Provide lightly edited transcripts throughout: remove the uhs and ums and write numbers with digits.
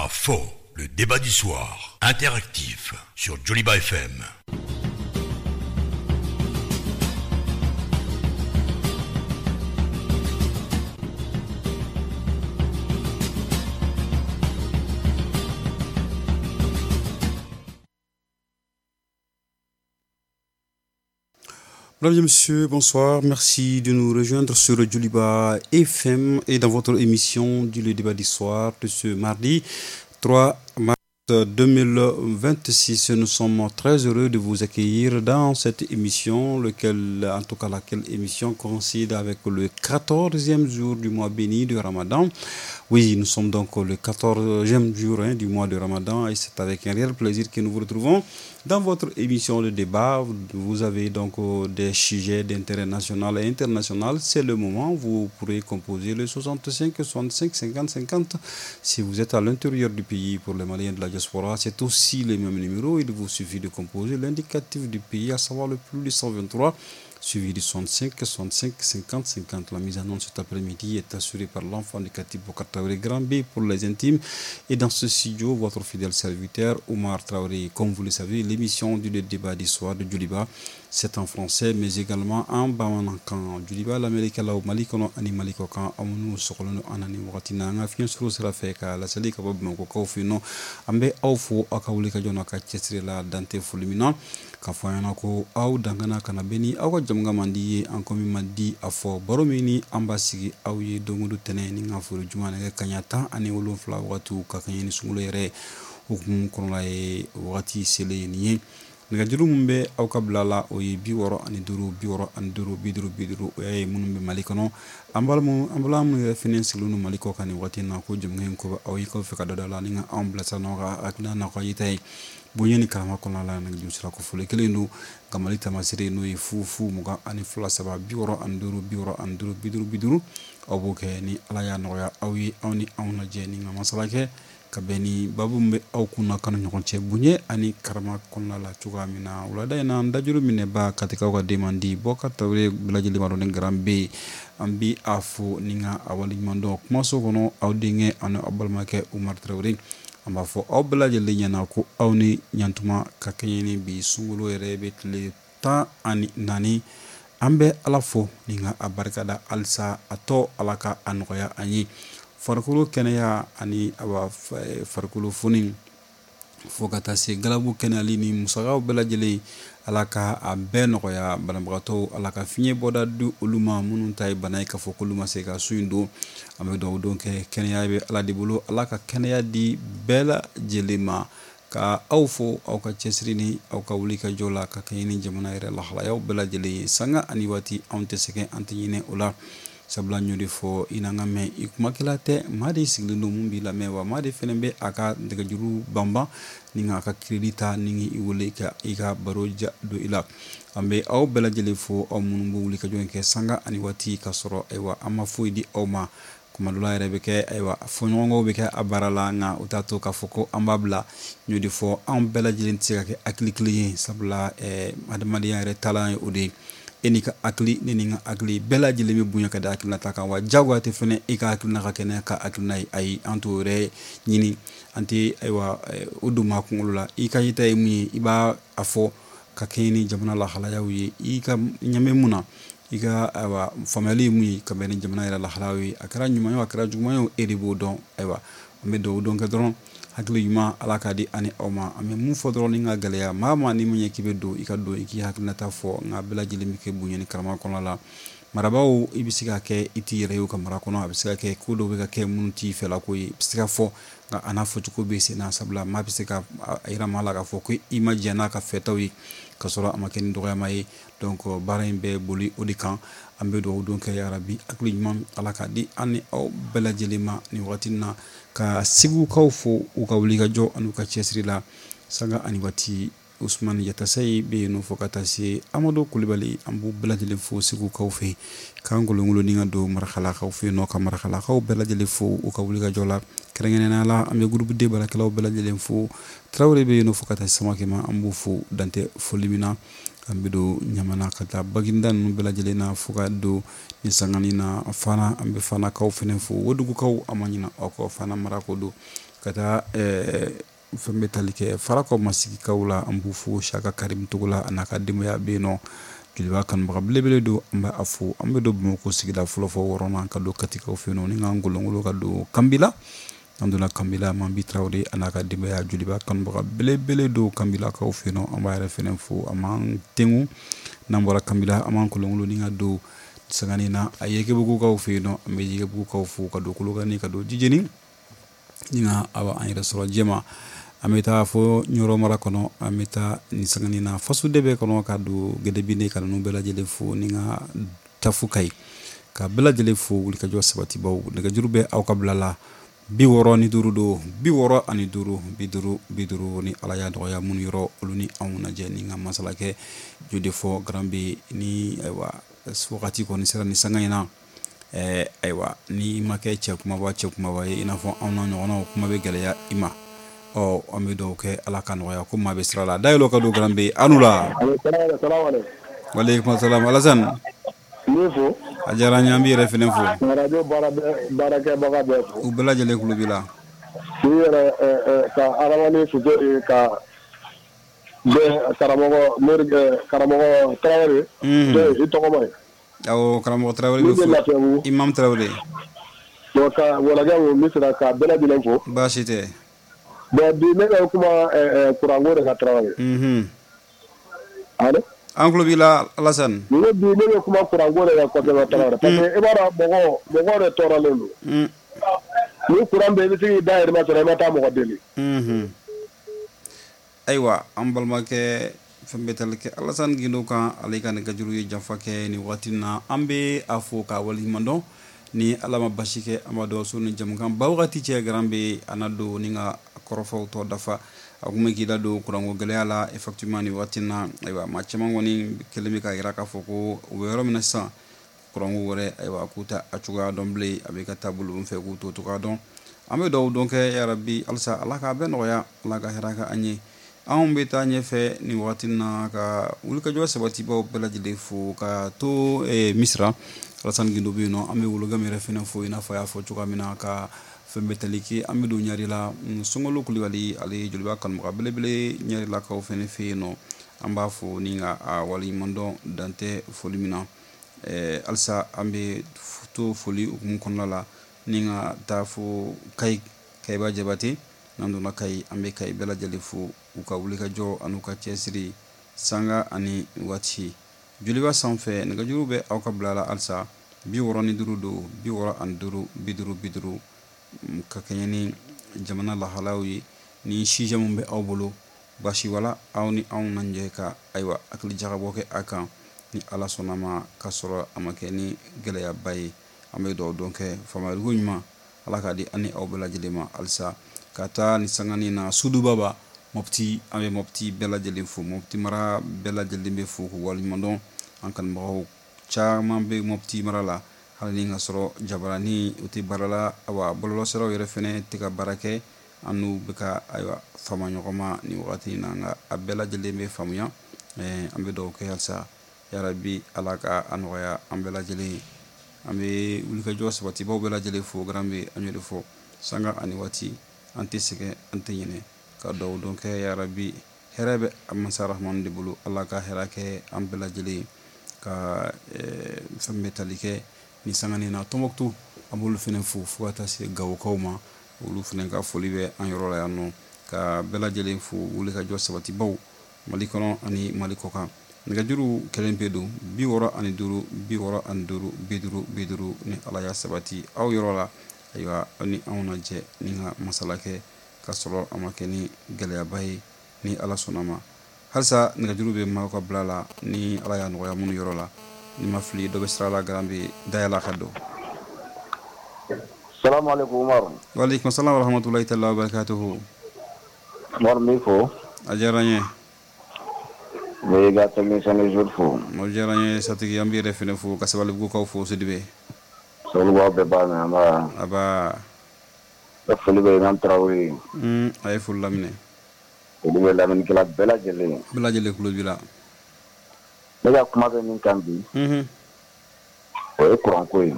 A fɔ, le débat du soir, interactif sur Joliba FM. Mesdames et messieurs, bonsoir. Merci de nous rejoindre sur Joliba FM et dans votre émission du Le Débat du soir de ce mardi 3 mars 2026. Nous sommes très heureux de vous accueillir dans cette émission, en tout cas laquelle émission coïncide avec le 14e jour du mois béni de Ramadan. Oui, nous sommes donc le 14e jour du mois de Ramadan et c'est avec un réel plaisir que nous vous retrouvons dans votre émission de débat. Vous avez donc des sujets d'intérêt national et international. C'est le moment, vous pourrez composer le 65 65 50 50 si vous êtes à l'intérieur du pays. Pour les Maliens de la diaspora, c'est aussi le même numéro. Il vous suffit de composer l'indicatif du pays, à savoir le plus 123, suivi du 65 65 50 50. La mise en onde cet après-midi est assurée par l'enfant du Katib Bokar Traoré, Grand B pour les intimes. Et dans ce studio, votre fidèle serviteur Omar Traoré. Comme vous le savez, l'émission du débat du soir de Joliba, c'est en français, mais également en bamanankan. Joliba, l'Amérique, la Mali kɔnɔ ani Mali kɔkan, aw minnu sɔgɔlen don an na nin wagati na, an ka fiɲɛ suru sira fɛ ka laseli ka bɔ Bamakɔkaw fɛ yen nɔ. An bɛ aw fo aw ka wuli ka jɔ n'aw ka cɛsiri la, dan tɛ foli min na. K'a fɔ an ɲɛna ko aw dangana kana bɛn ni aw ka jamukan man di ye, an ko min man di a fɔ baro min ni an b'a sigi aw ye don o don tɛnɛn ni ka foli juma nɛgɛ kanɲɛ 17 wagatiw ka kɛɲɛ ni sunkalo yɛrɛ hukumu kɔnɔla ye wagati selen ye nin ye. Nɛgɛjuru min bɛ aw ka bila la, o ye 65 65 50 50. O y'a ye minnu bɛ Mali kɔnɔ. An balima minnu yɛrɛ fɛnɛ sigilen don Mali kɔ kan nin waati in na, ko jamukan in ko bɛ aw ye k'aw fɛ ka dɔ da la ni ka anw bilasira n'aw ka hakilina n'aw ka yeta ye bonya ni karama kɔnɔna la. Nɛgɛjuru sira ko fɔli kelen don nka Mali taamasere n'o ye 0 0 22 3 65 65 50 50. Aw b'o kɛ ni Ala y'a nɔgɔya aw ye, aw ni anw lajɛ ni ka masala kɛ ka bɛn ni babu min bɛ aw kunna kanu ɲɔgɔn cɛ bonya ani karama kɔnɔna la cogoya min na. Wulada in na, an dajuru minɛba Katikaw ka den man di Bɔkar Traoré bɛɛ lajɛlen b'a dɔn ni Grand B, an bi a fo ni ka a waleɲuman dɔn. Kumaso kɔnɔ, aw denkɛ ani aw balimakɛ Umar Traoré, an b'a fɔ aw bɛɛ lajɛlen ɲɛna ko aw ni ɲantuma ka kɛɲɛ ni bi sunkalo yɛrɛ bɛ tile 14. An bɛ Ala fo ni ka a barikada halisa, a tɔ Ala ka a nɔgɔya an ye. Farikolo kɛnɛya ani awa farikolo foni fo ka taa se galabu kɛnɛyali ni musakaw bɛɛ lajɛlen, Ala ka a bɛɛ nɔgɔya banabagatɔw, Ala ka fiɲɛ bɔda di olu ma minnu ta ye bana ye k'a fɔ k'olu ma se ka sun in don. An bɛ dugawu don kɛ, kɛnɛya bɛ Ala de bolo, Ala ka kɛnɛya di bɛɛ lajɛlen ma. Ka aw fo aw ka cɛsiri ni aw ka wuli ka jɔ la ka kɛɲɛ ni jamana yɛrɛ lahalayaw bɛɛ lajɛlen ye. Sanga ani waati, anw tɛ sɛgɛn, an tɛ ɲinɛ o la, sabula n y'o de fɔ i n'an ka mɛn i kumakɛla tɛ, maa de sigilen don mun b'i lamɛn, wa maa de fɛnɛ bɛ a ka nɛgɛjuru banban ni k'a ka crédit ta ni i wele ka i ka baro ja don i la. An bɛ aw bɛɛ lajɛlen fo, aw minnu bɛ wuli ka jɔ kɛ sanga ani waati ka sɔrɔ ayiwa an ma foyi di aw ma. Kuma dɔ la yɛrɛ bɛ kɛ ayiwa fɔɲɔgɔnkɔw bɛ kɛ a baara la, nka u t'a to k'a fɔ ko an b'a bila. N y'o de fɔ, anw bɛɛ lajɛlen tɛ se ka kɛ hakili kelen ye, sabula adamadenya yɛrɛ taalan ye o de ye. E n'i ka hakili, ne ni n ka hakili, bɛɛ lajɛlen bɛ bonya ka da hakilina ta kan, wa jagoya tɛ fɛnɛ e ka hakilina ka kɛ ne ka hakilina ye. Ayi, an t'o yɛrɛ ɲini, an tɛ ayiwa o don maa kunkolo la. I ka yeta ye mun ye, i b'a a fɔ ka kɛɲɛ ni jamana lahalayaw ye, i ka ɲɛ bɛ mun na, i ka ayiwa faamuyali ye mun ye ka bɛn ni jamana yɛrɛ lahalayaw ye. A kɛra ɲuman ye o, a kɛra juguman ye o, e de b'o dɔn. Ayiwa, an bɛ dugawu don kɛ dɔrɔn, hakili ɲuman Ala k'a di ani aw ma. An bɛ mun fɔ dɔrɔn ni ka gɛlɛya, maa maa ni mun ye k'i bɛ don, i ka don i k'i hakilinata fɔ, nka bɛɛ lajɛlen bɛ kɛ bonya ni karama kɔnɔna la. Marabaaw, i bɛ se ka kɛ i t'i yɛrɛ ye u ka mara kɔnɔ, a bɛ se ka kɛ ko dɔw bɛ ka kɛ minnu t'i fɛla ko ye, i bɛ se ka fɔ, nka a n'a fɔcogo bɛ sen na, sabula maa bɛ se ka a yira maa la k'a fɔ ko i ma jɛn n'a ka fɛtaw ye ka sɔrɔ a ma kɛ ni dɔgɔyama ye. Donc baara in bɛ boli o de kan. An bɛ dugawu don kɛ yarabi, hakili ɲuman Ala k'a di an ni aw bɛɛ lajɛlen ma nin wagati in na. Ka Segukaw fo u ka wuli ka jɔ ani u ka cɛsiri la sanga ani waati. Usumani Yatasayi bɛ yen nɔ fo ka taa se Amadu Kulibali, an b'u bɛɛ lajɛlen fo Segukaw fɛ. K'an kolonkolon ni ka don Marakalakaw fɛ yen nɔ, ka Marakalakaw bɛɛ lajɛlen fo u ka wuli ka jɔ la. Kɛrɛnkɛrɛnnenya la, an bɛ groupe D baarakɛlaw bɛɛ lajɛlen fo. Tarawele bɛ yen nɔ fo ka taa se Samakɛ ma, an b'u fo dantɛ foli min na. An bɛ don Ɲamana ka taa Baginda ninnu bɛɛ lajɛlen na fo ka don ni sangani na Fana, an bɛ Fanakaw fɛnɛ fo. Wodugukaw, an ma ɲinɛ aw kɔ, Fana mara ko don. Ka taa fɛn bɛ tali kɛ Farakɔ Masigikaw la, an b'u fo. Saka Karim Togola a n'a ka denbaya bɛ yen nɔ, Joliba kanubaga belebele don, an bɛ a fo. An bɛ don Bamakɔ sigida fɔlɔ fɔ wɔɔrɔnan, ka don Katikaw fɛ yen nɔ, ni k'an golongolo ka don Kanbila. An donna Kanbila, Mambi Tarawele a n'a ka denbaya, Joliba kanubaga belebele don Kanbilakaw fɛ yen nɔ, an b'a yɛrɛ fɛnɛ fo, a m'an tengu. N'an bɔra Kanbila, an b'an kolongolo ni ka don sangani na a Yekebugukaw fɛ yen nɔ, an bɛ Yekebugukaw fo, ka don Kolokani, ka don Jijeni, ni ka awa an yɛrɛ sɔrɔ Jɛma. An bɛ taa fo Ɲɔrɔ mara kɔnɔ, an bɛ taa nin sangani na Fasudebe kɔnɔ, ka don Gɛdɛbine, ka ninnu bɛɛ lajɛlen fo, ni ka taa fo Kayi, ka bɛɛ lajɛlen fo. Wulikajɔ sabatibaw, nɛgɛjuru bɛ aw ka bila la, 65 don, 65 50 50. Ni Ala y'a nɔgɔya minnu yɔrɔ, olu ni anw lajɛ ni ka masala kɛ jo de fɔ garan bɛ ni ayiwa wagati kɔni sera ni sanga in na. Ayiwa, ni ma kɛ cɛ kumaba cɛ kumaba ye, i n'a fɔ anw na ɲɔgɔnnaw, kuma bɛ gɛlɛya i ma. Ɔ, an bɛ dugawu kɛ, Ala ka nɔgɔya ko maa bɛ sira la dayɛlɛ ka don garan bɛ anu la. Walekum salam, Alassane. N b'i fo. A diyara n ye, an b'i yɛrɛ fɛnɛ fo. Radio baarakɛbaga bɛɛ fo. U bɛɛ lajɛlen tulo b'i la. K'i yɛrɛ ka Aramani Fuseni ka bɛɛ karamɔgɔ Mori karamɔgɔ Tarawele. I tɔgɔma ye. Awɔ, karamɔgɔ Tarawele bɛ fo. Imam Tarawele. Bon, ka Walajɛ Misira ka bɛɛ lajɛlen fo. Baasi tɛ. Bon, bi ne bɛ kuma kuranko de kan, Tarawele. Allo. An tulo b'i la, Alassane. N ko bi ne bɛ kuma kuranko de kan kosɛbɛ, Tarawele, parce que i b'a dɔn mɔgɔ de tɔɔrɔlen don. Ni kuran bɛ, i bɛ se k'i dahirimɛ sɔrɔ, i ma taa mɔgɔ deli. Ayiwa, an balimakɛ fɛn bɛ tali kɛ Alassane Guindo kan, ale ka nɛgɛjuru ye janfa kɛ nin waati na. An bɛ a fo k'a waleɲuman dɔn. Ni Ala ma basi kɛ, an b'a dɔn so ni jamukan ba wagati cɛ, garan bɛ a na don ni ka kɔrɔfɔw tɔ dafa. A kun bɛ k'i da don kuranko gɛlɛya la. Effectivement, nin waati na, ayiwa, maa caman kɔni kɛlen bɛ k'a jira k'a fɔ ko u bɛ yɔrɔ min na sisan, kuranko wɛrɛ, ayiwa, k'u ta a cogoya dɔn bilen, a bɛ ka taa bolo fɛ, k'u t'o cogoya dɔn. An bɛ dugawu dɔn kɛ, yarabi, halisa Ala k'a bɛɛ nɔgɔya, Ala ka hɛrɛ kɛ an ye. Anw bɛ taa ɲɛfɛ nin waati na ka wulikajɔ sabatibaw bɛɛ lajɛlen fo, ka to Misira, Alassane Guindo bɛ yen nɔ. An bɛ Wologam yɛrɛ fɛnɛ fo, i n'a fɔ a y'a fɔ cogoya min na, ka fɛn bɛ tali kɛ. An bɛ don Ɲarela, Sunkalo Kulibali, ale ye Joliba kanubaga belebele Ɲarelakaw fɛnɛ fɛ yen nɔ. An b'a fo ni ka a waleɲuman dɔn, dan tɛ foli min na. Halisa an bɛ to foli hukumu kɔnɔna la, ni ka taa fo Kayi, Kayiba Jabate. N'an donna Kayi, an bɛ Kayi bɛɛ lajɛlen fo, u ka wulikajɔ an'u ka cɛsiri sanga ani waati. Joliba sanfɛ, nɛgɛjuru bɛ aw ka bila la halisa, 65 don, 65 50 50, ka kɛɲɛ ni jamana lahalaw ye. Ni sujet min bɛ aw bolo, basi wala aw ni anw na jɛ ka ayiwa hakili jagabɔ kɛ a kan, ni Ala sɔnna ma, ka sɔrɔ a ma kɛ ni gɛlɛyaba ye. An bɛ dugawu dɔn kɛ, faamuyaliko ɲuman Ala k'a di an ni aw bɛɛ lajɛlen ma. Halisa ka taa ni sanganin na Sudubaba Mopti, an bɛ Mopti bɛɛ lajɛlen fo, Mopti mara bɛɛ lajɛlen bɛ fo k'u waleɲuman dɔn. An kanubagaw caman bɛ Mopti mara la, hali ni ka sɔrɔ jabarani u tɛ baara la, awa bɔlɔlɔsiraw yɛrɛ fɛnɛ tɛ ka baara kɛ. An n'u bɛ ka ayiwa fama ɲɔgɔn ma nin wagati in na, nka a bɛɛ lajɛlen bɛ faamuya. An bɛ dugawu kɛ halisa, yarabi, Ala ka a nɔgɔya an bɛɛ lajɛlen ye. An bɛ wulikajɔ sabatibaw bɛɛ lajɛlen fo, garan bɛ an y'o de fɔ sanga ani waati, an tɛ sɛgɛn, an tɛ ɲinɛ, ka dugawu dɔn kɛ, yarabi, hɛrɛ bɛ masa Rahamani de bolo, Ala ka hɛrɛ kɛ an bɛɛ lajɛlen ye. Ka fɛn bɛ tali kɛ ni sanganin na Tɔnbɔkutu, an b'olu fɛnɛ fo, fo ka taa se Gawokaw ma, olu fɛnɛ ka foli bɛ an yɔrɔ la yan nɔ, ka bɛɛ lajɛlen fo, wulikajɔ sabatibaw Mali kɔnɔ ani Mali kɔkan. Nɛgɛjuru kelen pe don, 65 65 50 50. Ni Ala y'a sabati aw yɔrɔ la, ayiwa, aw ni anw na jɛ ni ka masala kɛ, ka sɔrɔ a ma kɛ ni gɛlɛyaba ye, ni Ala sɔnna ma. Halisa nɛgɛjuru bɛ maaw ka bila la, ni Ala y'a nɔgɔya minnu yɔrɔ la. Ni ma fili, dɔ bɛ sira la, garan bɛ dayɛlɛ ka don. Salamu alaikum, Umaru. Waaleykum salam wa rahmatulahi taala wa barakatuhu. Umaru, n b'i fo. A diyara n ye. N bɛ i ka technicien de jour fo. O diyara n ye, Satigi, an b'i yɛrɛ fɛnɛ fo, ka Sabalibugukaw fo, Sidibe. Sabalibugu aw bɛɛ b'a mɛn, an ba. Aba. N ka foli bɛ Imam Tarawele ye. A ye foli laminɛ. Foli bɛ lamɛnnikɛla bɛɛ lajɛlen ye. Bɛɛ lajɛlen tulo b'i la. Ne ka kuma bɛ min kan bi, o ye kuranko ye.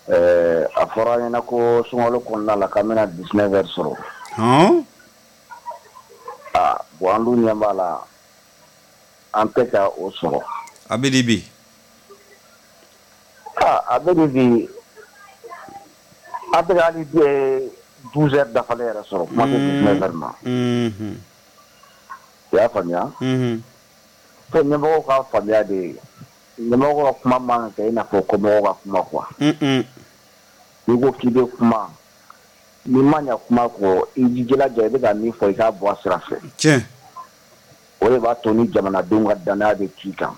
A fɔra an ɲɛna ko sunkalo kɔnɔna la k'an bɛna 19 heures sɔrɔ. Hɔn. Aa bon an dun ɲɛ b'a la an tɛ ka o sɔrɔ. A bɛ di bi? Aa a bɛ di bi, an tɛ ka hali 12 heures dafalen yɛrɛ sɔrɔ, kuma tɛ 19 heures ma. I y'a faamuya? Fo ɲɛmɔgɔw ka faamuya de, ɲɛmɔgɔw ka kuma man kan kɛ i n'a fɔ kɔmɔgɔw ka kuma quoi. N'i ko k'i bɛ kuma, n'i ma ɲɛ kuma kɔ, i jilaja i bɛ ka min fɔ i k'a bɔ a sira fɛ. Tiɲɛ. O de b'a to ni jamanadenw ka danaya bɛ k'i kan.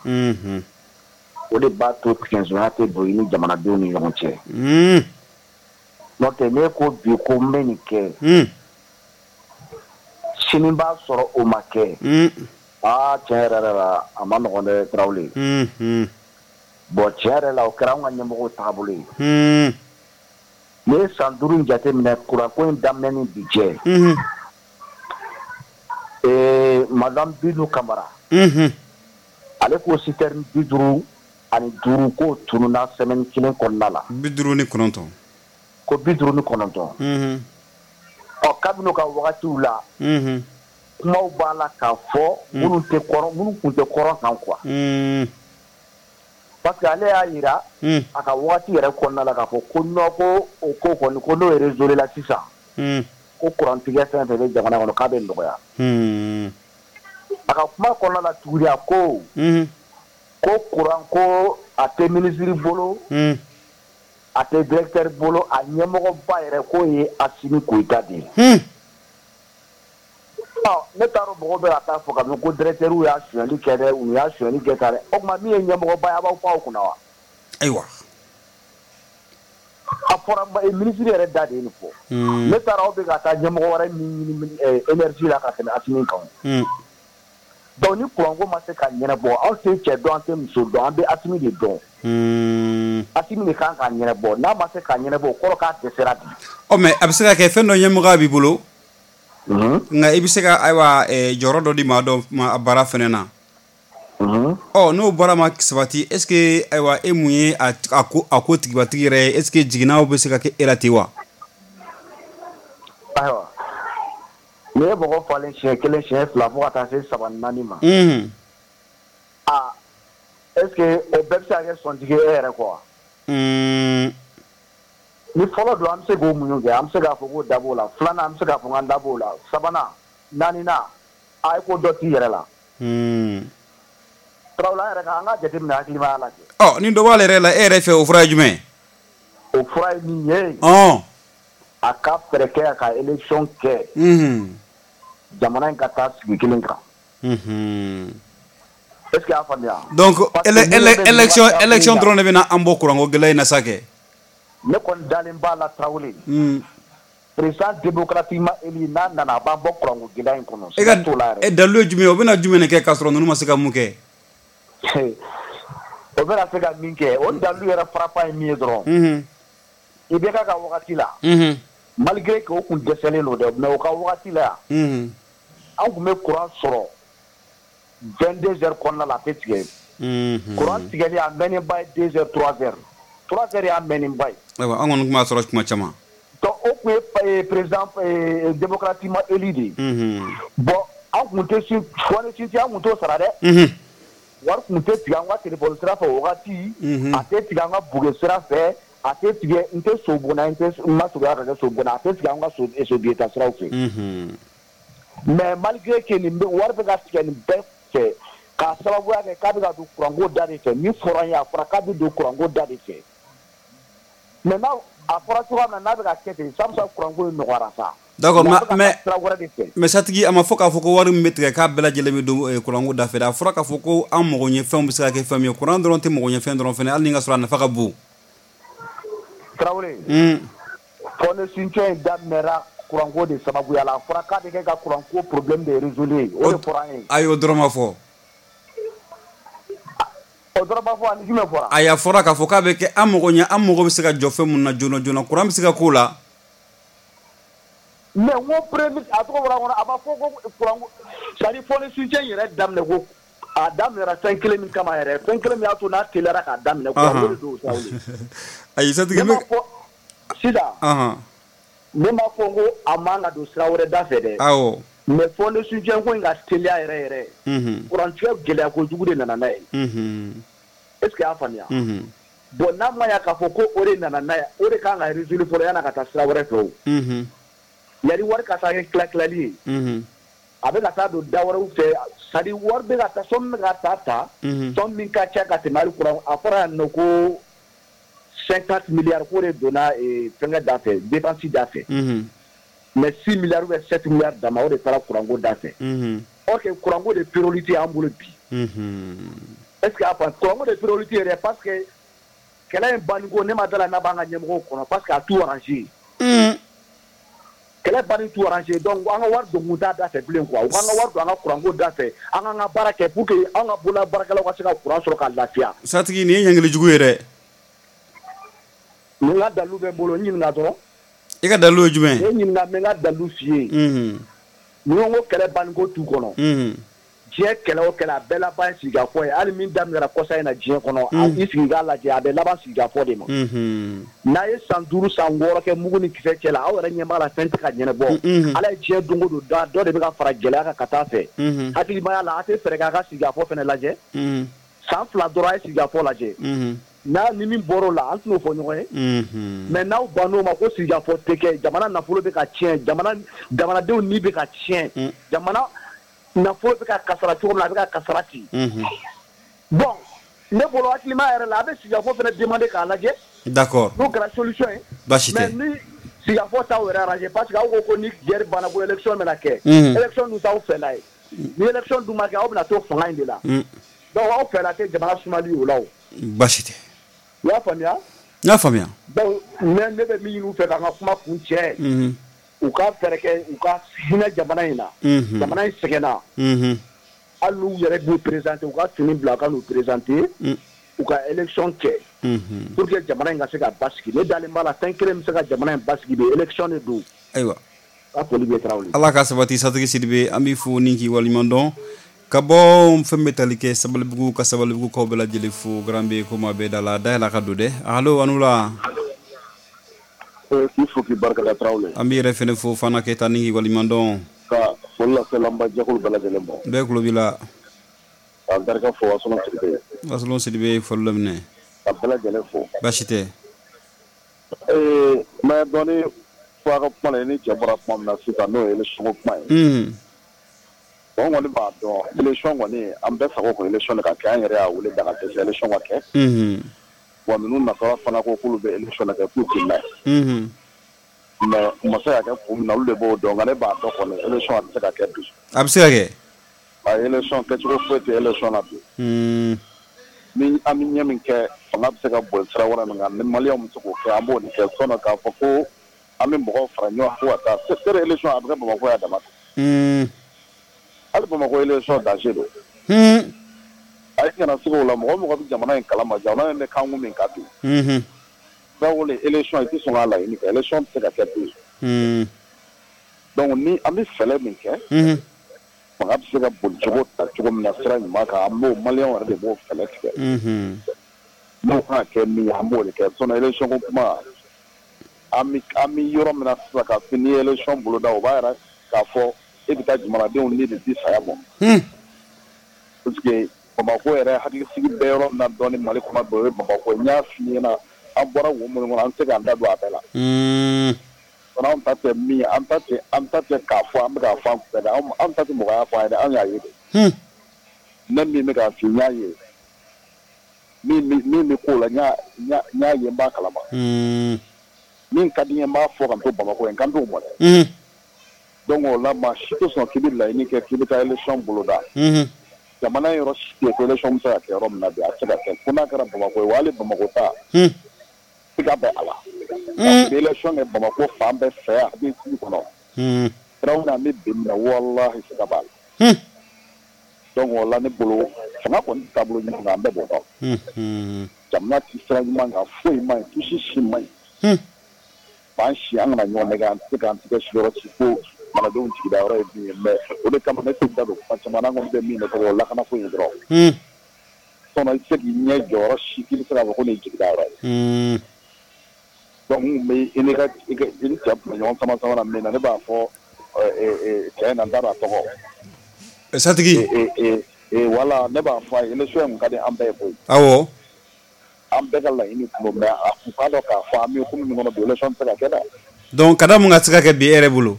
O de b'a to tigɛnsonya tɛ don i ni jamanadenw ni ɲɔgɔn cɛ. N'o tɛ n'e ko bi ko n bɛ nin kɛ, sini b'a sɔrɔ o ma kɛ. Aa tiɲɛ yɛrɛ yɛrɛ la a ma nɔgɔn dɛ Tarawele. Bon tiɲɛ yɛrɛ la o kɛra anw ka ɲɛmɔgɔw taabolo ye. N'i ye san 5 in jateminɛ kuranko in daminɛ ni bi cɛ. Madame Bintu Kamara. Ale ko citerne 55 k'o tununna semaine kelen kɔnɔna la. 59. Ko 59. Ɔ kabini u ka wagatiw la. Kumaw b'a la k'a fɔ minnu tɛ kɔrɔ, minnu tun tɛ kɔrɔ kan quoi. Parce que ale y'a jira a ka wagati yɛrɛ kɔnɔna la k'a fɔ ko non, ko o ko kɔni ko n'o résolu la sisan. Ko kurantigɛ fɛn fɛn bɛ jamana kɔnɔ k'a bɛ nɔgɔya. A ka kuma kɔnɔna la tuguni a ko. Ko kuran ko a tɛ ministre bolo. A tɛ directeur bolo, a ɲɛmɔgɔba yɛrɛ k'o ye Asimi Goyita de ye. Ɔ ne t'a dɔn mɔgɔw bɛ ka taa fɔ ka ko directeur y'a sonyali kɛ dɛ, u y'a sonyali kɛ tan dɛ, o tuma min ye ɲɛmɔgɔba ye a b'aw pan o kunna wa? Ayiwa. A fɔra ministre yɛrɛ da de ye nin fɔ. Ne t'a dɔn aw bɛ ka taa ɲɛmɔgɔ wɛrɛ min ɲini énergie la ka tɛmɛ Asimi kan. Donc ni kuranko ma se ka ɲɛnabɔ, anw tɛ cɛ dɔn, an tɛ muso dɔn, an bɛ Asimi de dɔn. Asimi de kan k'a ɲɛnabɔ, n'a ma se k'a ɲɛnabɔ o kɔrɔ k'a dɛsɛra bi. Ɔ mais a bɛ se ka kɛ fɛn dɔ ɲɛmɔgɔya b'i bolo. Nka i bɛ se ka ayiwa jɔyɔrɔ dɔ di maa dɔ ma a baara fɛnɛ na. Ɔ n'o baara ma sabati, est ce que ayiwa e mun ye a ko tigibatigi yɛrɛ ye, est ce que jiginnaw bɛ se ka kɛ e la ten wa? Ayiwa n'i ye mɔgɔ falen siɲɛ 1 siɲɛ 2 fo ka taa se 3 4 ma. Aa est ce que o bɛɛ bɛ se ka kɛ sɔntigi ye e yɛrɛ kɔ wa? Ni fɔlɔ don an bɛ se k'o muɲu kɛ, an bɛ se k'a fɔ ko da b'o la, filanan an bɛ se k'a fɔ k'an da b'o la, sabanan, naaninan, a ye ko dɔ t'i yɛrɛ la. Tarawele an yɛrɛ ka an ka jateminɛ hakilimaya la kɛ. Ɔ ni dɔ b'ale yɛrɛ la, e yɛrɛ fɛ o fura ye jumɛn ye? O fura ye min ye. A ka fɛɛrɛ kɛ a ka élection kɛ. Jamana in ka taa sigi kelen kan. Est ce que y'a faamuya? Donc élection dɔrɔn de bɛna an bɔ kuranko gɛlɛya in na sa kɛ. Ne kɔni dalen b'a la Tarawele. Président démocratiquement élu n'a nana a b'an bɔ kuranko gɛlɛya in kɔnɔ. E ka dalilu ye jumɛn ye? O bɛna jumɛn de kɛ k'a sɔrɔ ninnu ma se ka mun kɛ? O bɛna se ka min kɛ, o dalilu yɛrɛ frappant ye min ye dɔrɔn. IBK ka wagati la. Malgré que o kun dɛsɛlen don dɛ, mais o ka wagati la yan. An kun bɛ courant sɔrɔ 22 heures kɔnɔna la a tɛ tigɛ. Courant tigɛli a mɛnnenba ye 2 heures 3 heures. 3 heures y'a mɛnnenba ye. Ayiwa an kɔni tun b'a sɔrɔ tuma caman. Donc o tun ye président démocratiquement élu de ye. Bon an tun tɛ fɔ ni an tun t'o sara dɛ. Wari tun tɛ tigɛ an ka téléphone sira fɛ o wagati. A tɛ tigɛ an ka buge sira fɛ. A tɛ tigɛ n tɛ so bonna n tɛ n ma surunya ka kɛ so bonna, a tɛ tigɛ an ka so biyeta siraw fɛ. Mais malgré que nin bɛ wari bɛ ka tigɛ nin bɛɛ fɛ k'a sababuya kɛ k'a bɛ ka don kuranko da de fɛ, min fɔra an ye a fɔra k'a bɛ don kuranko da de fɛ. Mais n'a a fɔra cogoya min na n'a bɛ ka kɛ ten, sabu kuranko in nɔgɔyara sa. D'accord, mais satigi a ma fɔ k'a fɔ ko wari min bɛ tigɛ k'a bɛɛ lajɛlen bɛ don kuranko da fɛ dɛ, a fɔra k'a fɔ ko an mago ɲɛ fɛnw bɛ se ka kɛ fɛn min ye, kuran dɔrɔn tɛ mago ɲɛ fɛn dɔrɔn fɛnɛ, hali ni ka sɔrɔ a nafa ka bon. Tarawele, fonds de soutien in daminɛra kuranko de sababuya la, a fɔra k'a bɛ kɛ ka kuranko problème de résoudre, o de fɔra an ye. Ayi o dɔrɔn ma fɔ. O dɔrɔn ma fɔ, ani jumɛn fɔra? Ayi a fɔra k'a fɔ k'a bɛ kɛ an mago ɲɛ, an mago bɛ se ka jɔ fɛn mun na joona joona, kuran bɛ se ka k'o la. Mais n ko premier a tɔgɔ bɔra n kɔnɔ, a ma fɔ ko kuranko, c'est à dire fonds de soutien yɛrɛ daminɛ ko A daminɛra fɛn kelen min kama yɛrɛ, fɛn kelen min y'a to n'a teliyara k'a daminɛ, o de don Tarawele. Ayi Satigi, ne m'a fɔ sisan. Ne m'a fɔ ko a man ka don sira wɛrɛ da fɛ dɛ. Awɔ. Mais fond de soutien ko in ka teliya yɛrɛ yɛrɛ. Kurantigɛ gɛlɛya kojugu de nana n'a ye. Est ce que y'a faamuya? Bon, n'a ma ɲa k'a fɔ ko o de nana n'a ye, o de kan ka résoudre fɔlɔ yan'a ka taa sira wɛrɛ fɛ o. Yanni wari ka taa kɛ tila tilali ye. A bɛ ka taa don da wɛrɛw fɛ, c'est à dire wari bɛ ka taa, somme bɛ ka taa ta. Somme min ka ca ka tɛmɛ hali kuran, a fɔra yan nɔ ko 50 milliards ko de donna fɛnkɛ da fɛ, dépense da fɛ. Mais 6 milliards ou bien 7 milliards dama, o de taara kuranko da fɛ. Or que kuranko de priorité y'an bolo bi. Est ce que a faamu? Kuranko de priorité yɛrɛ, parce que kɛlɛ in banni ko, ne ma da la n'a b'an ka ɲɛmɔgɔw kɔnɔ, parce que a t'u arrangé. Kɛlɛ banni t'u arrangé, donc an ka wari don kun t'a da fɛ bilen quoi. U k'an ka wari don an ka kuranko da fɛ, an k'an ka baara kɛ pour que an ka bolola baarakɛlaw ka se ka kuran sɔrɔ ka lafiya. Satigi, nin ye ɲangili jugu ye dɛ. N ka dalilu bɛ n bolo, n ɲininka dɔrɔn. I ka dalilu ye jumɛn? Ne ɲininka, n bɛ n ka dalilu f'i ye. Ni ko kɛlɛ banni ko t'u kɔnɔ. Diɲɛ kɛlɛ o kɛlɛ, a bɛɛ laban ye sigikafɔ ye. Hali min daminɛra kɔsa in na diɲɛ kɔnɔ, i sigi k'a lajɛ, a bɛ laban sigikafɔ de ma. N'a ye san 5 san 6 kɛ mugu ni kisɛ cɛ la, aw yɛrɛ ɲɛ b'a la fɛn tɛ ka ɲɛnabɔ. Ala ye diɲɛ don o don da, dɔ de bɛ ka fara gɛlɛya kan ka taa fɛ. Hakilimaya la, a tɛ fɛɛrɛ kɛ a ka sigikafɔ fana lajɛ. San 2 dɔrɔn, a ye sigikafɔ lajɛ. N'a ni min bɔr'o la, an tɛn'o fɔ ɲɔgɔn ye. Mais n'aw bann'o ma ko sigikafɔ tɛ kɛ, jamana nafolo bɛ ka tiɲɛ, jamanadenw ni bɛ ka tiɲɛ, jamana nafolo bɛ ka kasara cogo min na, a bɛ ka kasara ten. Bon, ne bolo hakilima yɛrɛ la, a bɛ sigikafɔ fana demander k'a lajɛ. D'accord. N'o kɛra solution ye. Baasi tɛ. Mais ni sigikafɔ t'aw yɛrɛ arranger, parce que aw ko ko ni guerre banna ko élection bɛna kɛ. Élection dun t'aw fɛla ye. Ni élection dun ma kɛ, aw bɛna to fanga in de la. Donc aw fɛla tɛ jamana sumali o la o. Baasi tɛ. I y'a faamuya? N y'a faamuya. Donc ne bɛ min ɲini u fɛ k'an ka kuma kun cɛ. U ka fɛɛrɛ kɛ, u ka hinɛ jamana in na. Jamana in sɛgɛnna. Hali n'u yɛrɛ b'u présenter, u ka fini bila ka n'u présenter, u ka élection kɛ. Pour que jamana in ka se ka basigi. Ne dalen b'a la, fɛn kelen bɛ se ka jamana in basigi bi, élection de don. Ayiwa. Ka foli bɛ Tarawele. Ala ka sabati Satigi Sidibe, an b'i fo ni k'i waleɲuman dɔn. Ka bɔ fɛn bɛ tali kɛ Sabalibugu, ka Sabalibugu kaw bɛɛ lajɛlen fo, garan bɛ ko maa bɛɛ da la, dayɛlɛ ka don dɛ. Allo, a ni wula. K'i fo k'i barika da Tarawele. An b'i yɛrɛ fɛnɛ fo Fana Keyita ni k'i waleɲuman dɔn. Ka foli lase lanba jɛkulu bɛɛ lajɛlen ma. Bɛɛ tulo b'i la. Ka barika fo Wasolon Sidibe. Wasolon Sidibe, foli laminɛ. Ka bɛɛ lajɛlen fo. Baasi tɛ. Mais dɔɔni fɔ a ka kuma la, i ni cɛ bɔra kuma min na sisan, n'o ye élection ko kuma ye. Bon, kɔni b'a dɔn élection kɔni, an bɛɛ sago ko élection de ka kɛ, an yɛrɛ y'a wele da ka dɛsɛ élection ka kɛ. Wa ninnu nasara fana ko k'olu bɛ élection de kɛ, k'u tɛ na ye. Mais u ma se ka kɛ kun min na, olu de b'o dɔn, nka ne b'a dɔn kɔni élection a tɛ se ka kɛ bi. A bɛ se ka kɛ. A élection kɛcogo foyi tɛ élection na bi. Ni an bɛ ɲɛ min kɛ, fanga bɛ se ka boli sira wɛrɛ min kan, ni maliyɛnw bɛ se k'o kɛ, an b'o de kɛ. Sinon k'a fɔ ko an bɛ mɔgɔw fara ɲɔgɔn kan ko ka taa sere élection, a bɛ kɛ Bamakɔ yan dama. Hali Bamakɔ élection danger don. A ye kana se o la, mɔgɔ mɔgɔ bɛ jamana in kalama, jamana in bɛ kankun min kan bi. Tarawele, élection i tɛ sɔn k'a laɲini kɛ, élection tɛ se ka kɛ bi. Donc ni an bɛ fɛɛrɛ min kɛ, fanga bɛ se ka boli cogo ta cogo min na sira ɲuman kan, an b'o maliyɛnw yɛrɛ de b'o fɛɛrɛ tigɛ. N'o kan ka kɛ min ye, an b'o de kɛ. Sinon élection ko kuma, an bɛ yɔrɔ min na sisan, k'a fɔ n'i ye élection boloda, o b'a yira k'a fɔ e bɛ taa jamanadenw ni de di saya ma. Parce que Bamakɔ yɛrɛ hakilisigi bɛ yɔrɔ min na dɔɔni Mali kɔnɔ bi, o ye Bamakɔ ye. N y'a f'i ɲɛna, an bɔra wo minnu kɔnɔ, an tɛ se k'an da don a bɛɛ la. An ta tɛ min ye, an ta tɛ k'a fɔ an bɛ k'a fɔ an kunfɛ dɛ, an ta tɛ mɔgɔ y'a fɔ an ye dɛ, an y'a ye de. Ne min bɛ k'a f'i n y'a ye. Min bɛ k'o la, n y'a ye, n b'a kalama. Min ka di n ye, n b'a fɔ ka to Bamakɔ ye, n kan t'o mɔ dɛ. Donc o la, maa si tɛ sɔn k'i bɛ laɲini kɛ k'i bɛ taa élection boloda. Jamana yɔrɔ si tɛ ko élection bɛ se ka kɛ yɔrɔ min na bi, a tɛ se ka kɛ. Fo n'a kɛra Bamakɔ ye, wa hali Bamakɔ ta, siga bɛ a la. Parce que élection kɛ Bamakɔ fan bɛɛ fɛ, a bɛ sigi kɔnɔ. Tarawele, an bɛ bi min na, walahi siga b'a la. Donc o la ne bolo, fanga kɔni taabolo ɲuman kan, an bɛɛ b'o dɔn. Jamana ti sira ɲuman kan, foyi man ɲi, tusi si man ɲi. B'an si, an kana ɲɔgɔn nɛgɛ, an tɛ se k'an tigɛ siyɔrɔ ci ko jamanadenw jigida yɔrɔ ye min ye, mais o de kama ne tɛ da don kuma caman na, an kɔni bɛ min nɔfɛ o lakanako in dɔrɔn. Sinon i tɛ se k'i ɲɛ jɔyɔrɔ si k'i bɛ se k'a fɔ ko nin ye jigida yɔrɔ ye. Donc n bɛ i ni ka i ni cɛ tun bɛ ɲɔgɔn sama sama na min na, ne b'a fɔ cɛ in na, n t'a dɔn a tɔgɔ. Satigi. Voilà, ne b'a fɔ a ye, élection in kun ka di an bɛɛ ye koyi. Awɔ. An bɛɛ ka laɲini kun don, mais a kun t'a dɔn k'a fɔ an bɛ ko min kɔnɔ bi, élection tɛ se ka kɛ dɛ. Donc ka da mun ka se ka kɛ bi e yɛrɛ bolo?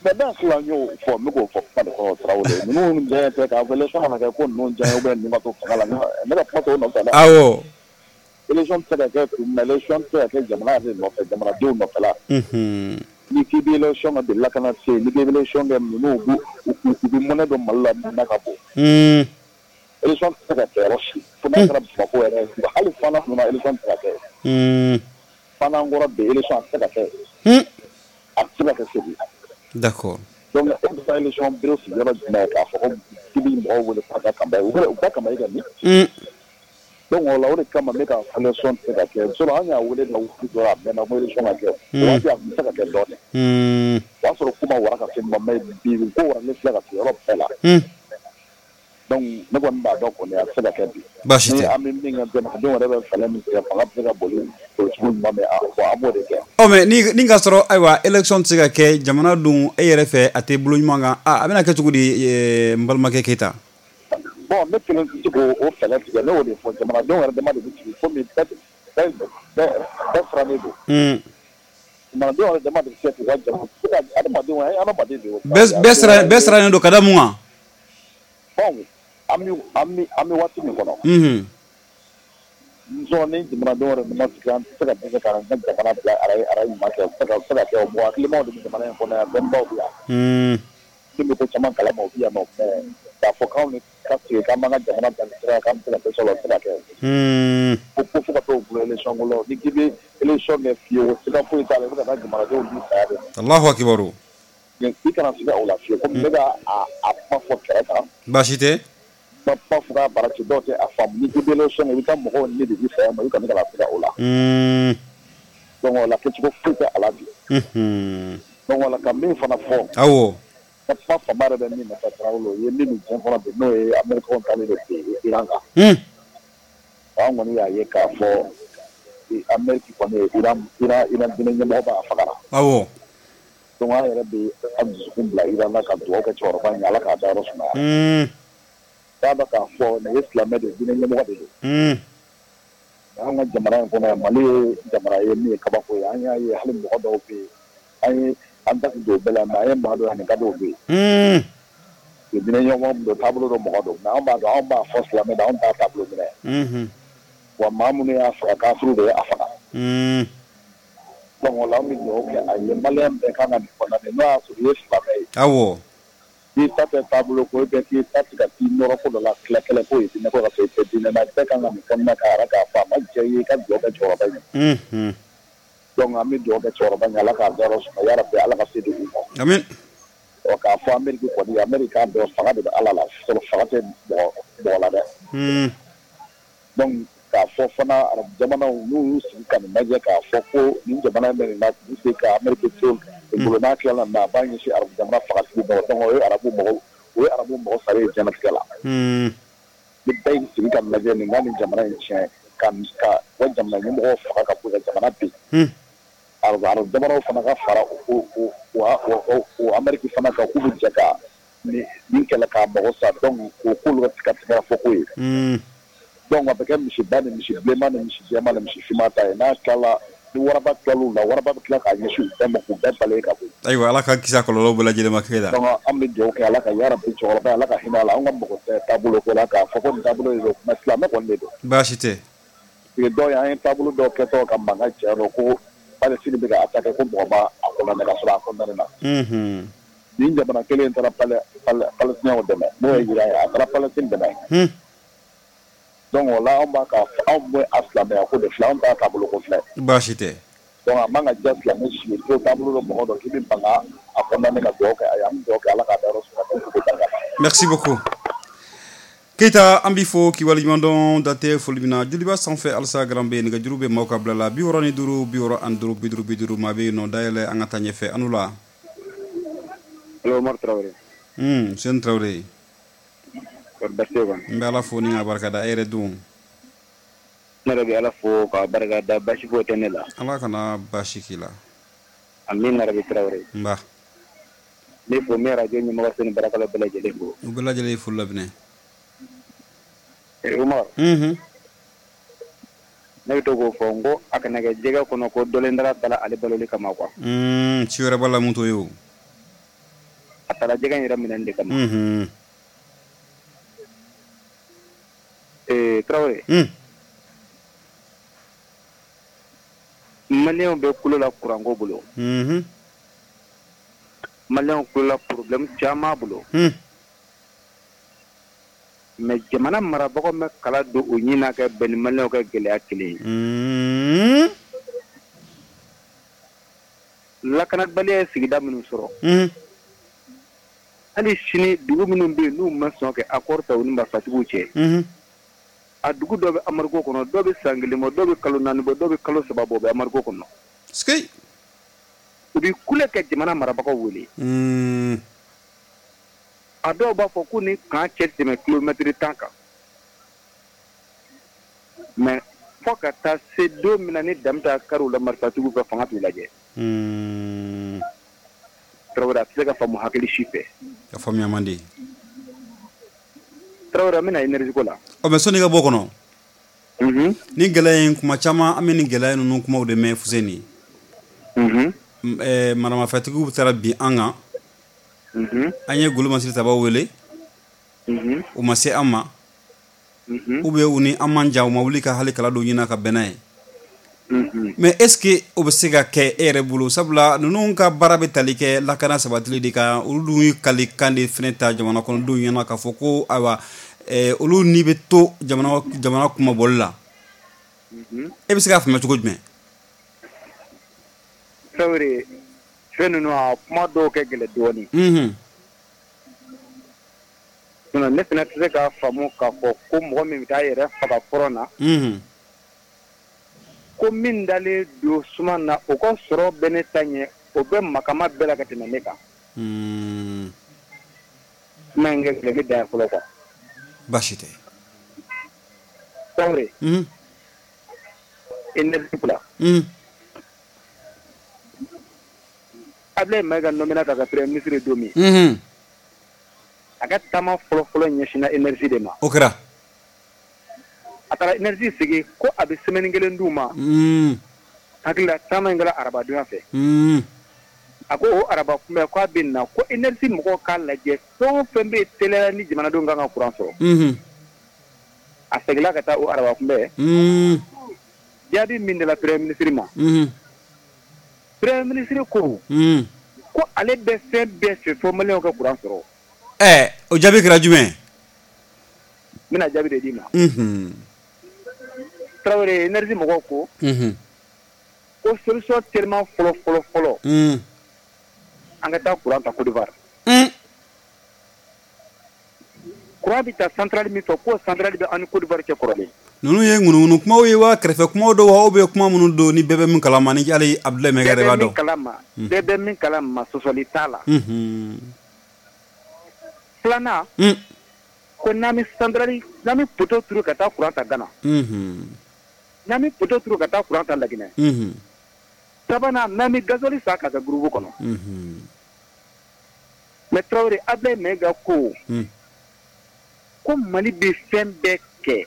Mais ne hakili la, n y'o fɔ, n bɛ k'o fɔ kuma de kɔnɔ, Tarawele. Ninnu diya tɛ k'a fɔ élection kana kɛ ko ninnu diya ou bien ninnu ka to fanga la, ne ka kuma t'o nɔfɛ dɛ. Awɔ. Élection tɛ se ka kɛ kun min na, élection tɛ se ka kɛ jamana yɛrɛ de nɔfɛ, jamanadenw nɔfɛ la. Ni k'i bɛ élection kɛ de lakana tɛ yen, ni k'i bɛ élection kɛ, ninnu u bɛ mɔnɛ don Mali la min na ka bon. Élection tɛ se ka kɛ yɔrɔ si, fo n'a kɛra Bamakɔ yɛrɛ ye, hali fana ninnu na élection tɛ se ka kɛ. Fana kɔrɔ bi élection a tɛ se ka kɛ. A tɛ se ka kɛ Segu. D'accord. Donc e bɛ taa élection bureau sigi yɔrɔ jumɛn k'a fɔ ko k'i bɛ mɔgɔw wele k'a ka campagne, u ka campagne kɛ min? Donc o la, o de kama ne ka élection tɛ se ka kɛ. Sinon an y'a wele na waati dɔ la, a mɛnna ko élection ka kɛ. O waati a tun bɛ se ka kɛ dɔɔnin. O y'a sɔrɔ ko ma wara ka se ma, mais bi ko waralen filɛ ka se yɔrɔ bɛɛ la. Donc ne kɔni b'a dɔn kɔni a tɛ se ka kɛ bi. Baasi tɛ. Ni an bɛ min kɛ, jamanadenw yɛrɛ bɛ fɛɛrɛ min tigɛ, fanga bɛ se ka boli cogo ɲuman min, an b'o de kɛ. Ɔ mais ni ka sɔrɔ ayiwa élection tɛ se ka kɛ, jamana dun e yɛrɛ fɛ a tɛ bolo ɲuman kan, a bɛna kɛ cogo di, n balimakɛ Keyita? Bon, ne kelen tɛ se k'o fɛɛrɛ tigɛ, ne y'o de fɔ, jamanadenw yɛrɛ dama de bɛ sigi komi bɛɛ sirannen don. Jamanadenw yɛrɛ dama de bɛ se k'u ka jamana, adamadenw ye adamaden de ye. Bɛɛ sirannen don ka da mun kan? Bon, an bɛ waati min kɔnɔ. Nisɔn ni jamanadenw yɛrɛ dama sigi, an tɛ se ka dɛsɛ k'an ka jamana bila ara ɲuman kɛ, o tɛ se ka kɛ, o mɔgɔ hakilimaw de bɛ jamana in kɔnɔ yan, dɔnnibaw bɛ yan. Min bɛ ko caman kalama, o bɛ yan nɔ, mais k'a fɔ k'anw de ka sigi k'an b'an ka jamana bila sira kan, k'an bɛ se ka dɛsɛ o la, o tɛ se ka kɛ. Ko fo ka t'o bolo élection ko la, ni k'i bɛ élection kɛ fiyewu, siga foyi t'a la, i bɛ ka taa jamanadenw di saya de ma. Alahu akibaru. I kana siga o la fiyewu, komi ne b'a a kuma fɔ kɛrɛ kan. Baasi tɛ. Kuma fɔ k'a bara ci, dɔw tɛ a faamu. Ni k'i bɛ élection kɛ, i bɛ taa mɔgɔw ni de di saya ma, i kana siga o la. Donc o la kɛcogo foyi tɛ a la bi. Donc o la ka min fana fɔ. Awɔ. Ka kuma fanba yɛrɛ bɛ min nɔfɛ Tarawele, o ye min bɛ diɲɛ kɔnɔ bi, n'o ye Américains taalen de bi Iran kan. An kɔni y'a ye k'a fɔ Amérique kɔni ye Iran diinɛ ɲɛmɔgɔ b'a fagara. Awɔ. Donc an yɛrɛ bɛ an dusukun bila Iran na ka dugawu kɛ cɛkɔrɔba in ye, Ala k'a dayɔrɔ sumaya. K'a dɔn k'a fɔ nin ye silamɛ de ye, diinɛ ɲɛmɔgɔ de don. An ka jamana in kɔnɔ yan, Mali ye jamana ye min ye kabako ye, an y'a ye hali mɔgɔ dɔw bɛ yen, an ye an da don bɛɛ la, mais an ye maa dɔw ye ani ka dɔw bɛ yen. Diinɛ ɲɛmɔgɔ don, taabolo dɔ mɔgɔ don, mais an b'a dɔn, anw b'a fɔ silamɛ don, anw t'a taabolo minɛ. Wa maa minnu y'a faga, kafiriw de ye a faga. Donc o la an bɛ dugawu kɛ a ye, maliyɛn bɛɛ kan ka nin condamner, n'o y'a sɔrɔ i ye silamɛ ye. Awɔ. K'i ta tɛ taabolo ko, bɛɛ k'i ta tigɛ k'i nɔrɔ ko dɔ la, kɛlɛ kɛlɛ ko ye diinɛ ko ka sɔrɔ i tɛ diinɛ na, bɛɛ kan ka nin condamner k'a yɛrɛ k'a fɔ a ma diya i ye, i ka dugawu kɛ cɛkɔrɔba in ye. Donc an bɛ dugawu kɛ cɛkɔrɔba in ye, Ala k'a dayɔrɔ sumaya, yarabi Ala ka se di u ma. Amin. Ɔ k'a fɔ Amérique kɔni, Amérique k'a dɔn fanga de bɛ Ala la, sɔrɔ fanga tɛ mɔgɔ la dɛ. Donc k'a fɔ fana arabu jamanaw n'u y'u sigi ka nin lajɛ k'a fɔ ko nin jamana in bɛ nin na, k'u se ka Amérique to bolo n'a tilala na, a b'a ɲɛsin arabu jamana fagatigi ma. Donc o ye arabu mɔgɔ, o ye arabu mɔgɔ sari ye diɲɛlatigɛ la. Ni bɛɛ y'i sigi ka lajɛ nin ka nin jamana in tiɲɛ, ka wa jamana ɲɛmɔgɔw faga ka bɔ ka jamana bin. Arabu jamanaw fana ka fara o Amérique fana kan, k'u bɛ jɛ ka nin kɛlɛ k'a mago sa. Donc o k'olu ka tigɛ fɔ ko ye. Donc a bɛ kɛ misiba ni misi bilenman ni misi jɛman ni misi finman ta ye. N'a tilala, ni waraba tilal'u la, waraba bɛ tila k'a ɲɛsin u bɛɛ ma k'u bɛɛ balayer ka bɔ yen. Ayiwa, Ala ka kisi a kɔlɔlɔ bɛɛ lajɛlen ma kɛ la. Donc an bɛ dugawu kɛ Ala ka yarabi cɛkɔrɔba, Ala ka hinɛ a la. An ka mɔgɔ tɛ taabolo ko la k'a fɔ ko nin taabolo de don, mais silamɛ kɔni de don. Baasi tɛ. Parce que dɔw ye, an ye taabolo dɔw kɛtɔ ka mankan cɛ dɔn ko Palestine bɛ ka attaquer, ko mɔgɔ ma a condamné ka sɔrɔ a condamné na. Nin jamana kelen in taara Palestiniens dɛmɛ, n'o ye Iran ye, a taara Palestine dɛmɛ. Donc o la anw b'a ka anw bɛ a silamɛya ko de filɛ, anw t'a taabolo ko filɛ. Baasi tɛ. Donc a man ka diya silamɛ si ye ko taabolo dɔ mɔgɔ dɔ k'i bɛ ban ka a condamné ka dugawu kɛ a ye, an bɛ dugawu kɛ Ala k'a dayɔrɔ sumaya. Merci beaucoup. Keyita, an b'i fo k'i waleɲuman dɔn, dantɛ foli min na. Joliba sanfɛ halisa garan bɛ yen, nɛgɛjuru bɛ maaw ka bila la 65 65 50 50, maa bɛ yen nɔ, dayɛlɛ an ka taa ɲɛfɛ. An la. Allo Umaru Tarawele. Sɛni Tarawele. Kɔri baasi tɛ yen kɔni? N bɛ Ala fo ni ka barika da, e yɛrɛ dun? Ne yɛrɛ bɛ Ala fo k'a barika da, baasi foyi tɛ ne la. Ala kana baasi k'i la. Amina rabi Tarawele. Nba. Ne fo, n bɛ radio ɲɛmɔgɔso ni baarakɛlaw bɛɛ lajɛlen fo. U bɛɛ lajɛlen ye foli laminɛ. Umaru. Ne bɛ to k'o fɔ n ko a kana kɛ jɛgɛ kɔnɔ ko dɔlen dara bala ale baloli kama quoi. Ci wɛrɛ b'a la mun t'o ye o. A taara jɛgɛ in yɛrɛ minɛni de kama. Tarawele. Maliyɛnw bɛ kulo la kuranko bolo. Maliyɛnw kulo la problème caman bolo. Mais jamana marabagaw ma kala don u ɲin na ka bɛn ni maliyɛnw ka gɛlɛya kelen ye. Lakanabaliya ye sigida minnu sɔrɔ. Hali sini dugu minnu bɛ yen n'u ma sɔn kɛ accord ta u ni marifatigiw cɛ. A dugu dɔ bɛ embargo kɔnɔ, dɔw bɛ san kelen bɔ, dɔw bɛ kalo 4 bɔ, dɔw bɛ kalo 3 bɔ, u bɛ embargo kɔnɔ. U bɛ kule ka jamana marabagaw wele. A dɔw b'a fɔ ko ni kan cɛ tɛmɛ kilomètre 10 kan. Mais fo ka taa se don min na ni Damita kari la marifatigiw ka fanga t'u lajɛ. Tarawele, a tɛ se ka faamu hakili si fɛ. A faamuya man di. Tarawele, an bɛna énergie ko la. Ɔ mais sɔnni i ka bɔ kɔnɔ. Ni gɛlɛya in kuma caman an bɛ nin gɛlɛya ninnu kumaw de mɛn Fuseni. Maramafɛntigiw taara bin an kan. An ye golo masiri tabaw wele. U ma se an ma. Ou bien u ni an man jan, u ma wuli ka hali kala dɔ ɲini ka bɛn n'a ye. Mais est-ce que o bɛ se ka kɛ e yɛrɛ bolo, sabula ninnu ka baara bɛ tali kɛ lakana sabatili de kan, olu dun ye kalikan de fɛnɛ ta jamana kɔnɔdenw ɲɛna k'a fɔ ko ayiwa olu ni bɛ to jamana kumabɔli la. E bɛ se k'a faamuya cogo jumɛn? Tarawele, fɛn ninnu a kuma dɔw kɛ gɛlɛn dɔɔnin. Sinon ne fana tɛ se k'a faamu k'a fɔ ko mɔgɔ min bɛ taa yɛrɛ faga front na. Ko min dalen don suma na, o ka sɔrɔ bɛ ne ta ɲɛ, o bɛ makama bɛɛ la ka tɛmɛ ne kan. Kuma in kɛ gɛlɛn bɛ dan fɔlɔ quoi. Baasi tɛ. Tarawele. Énergie ko la. Abdoulaye Maïga nommé ka kɛ premier ministre ye don min. A ka taama fɔlɔ-fɔlɔ ɲɛsinna énergie de ma. O kɛra. A taara énergie sigi ko a bɛ semaine kelen d'u ma. Hakili la taama in kɛra arabadonya fɛ. A ko o araba kunbɛn k'a bɛ na ko énergie mɔgɔw k'a lajɛ fɛn o fɛn bɛ yen teliya ni jamanadenw kan ka courant sɔrɔ. A seginna ka taa o araba kunbɛn. Jaabi min dila premier ministre ma. Premier ministre ko. Ko ale bɛ fɛn bɛɛ fɛ fo maliyɛnw ka courant sɔrɔ. O jaabi kɛra jumɛn? N bɛna jaabi de d'i ma. Tarawele, énergie mɔgɔw ko. Ko solution tellement fɔlɔ fɔlɔ. An ka taa courant ta Côte d'Ivoire. Courant bɛ taa centrale min fɛ, k'o centrale bɛ an ni Côte d'Ivoire cɛ kɔrɔlen. Ninnu ye ŋunuŋunu kumaw ye wa kɛrɛfɛ kumaw don wa ou bien kuma minnu don ni bɛɛ bɛ min kalama ni hali Abdoulaye Maïga yɛrɛ b'a dɔn. Bɛɛ bɛ min kalama, sɔsɔli t'a la. Filanan. Ko n'an bɛ centrale, n'an bɛ poteau turu ka taa courant ta Ghana. N'an bɛ poteau turu ka taa courant ta Laginɛ. Sabanan, n'an bɛ gasoil san ka kɛ groupe kɔnɔ. Mais Tarawele, Abdoulaye Maïga ko. Ko Mali bɛ fɛn bɛɛ kɛ.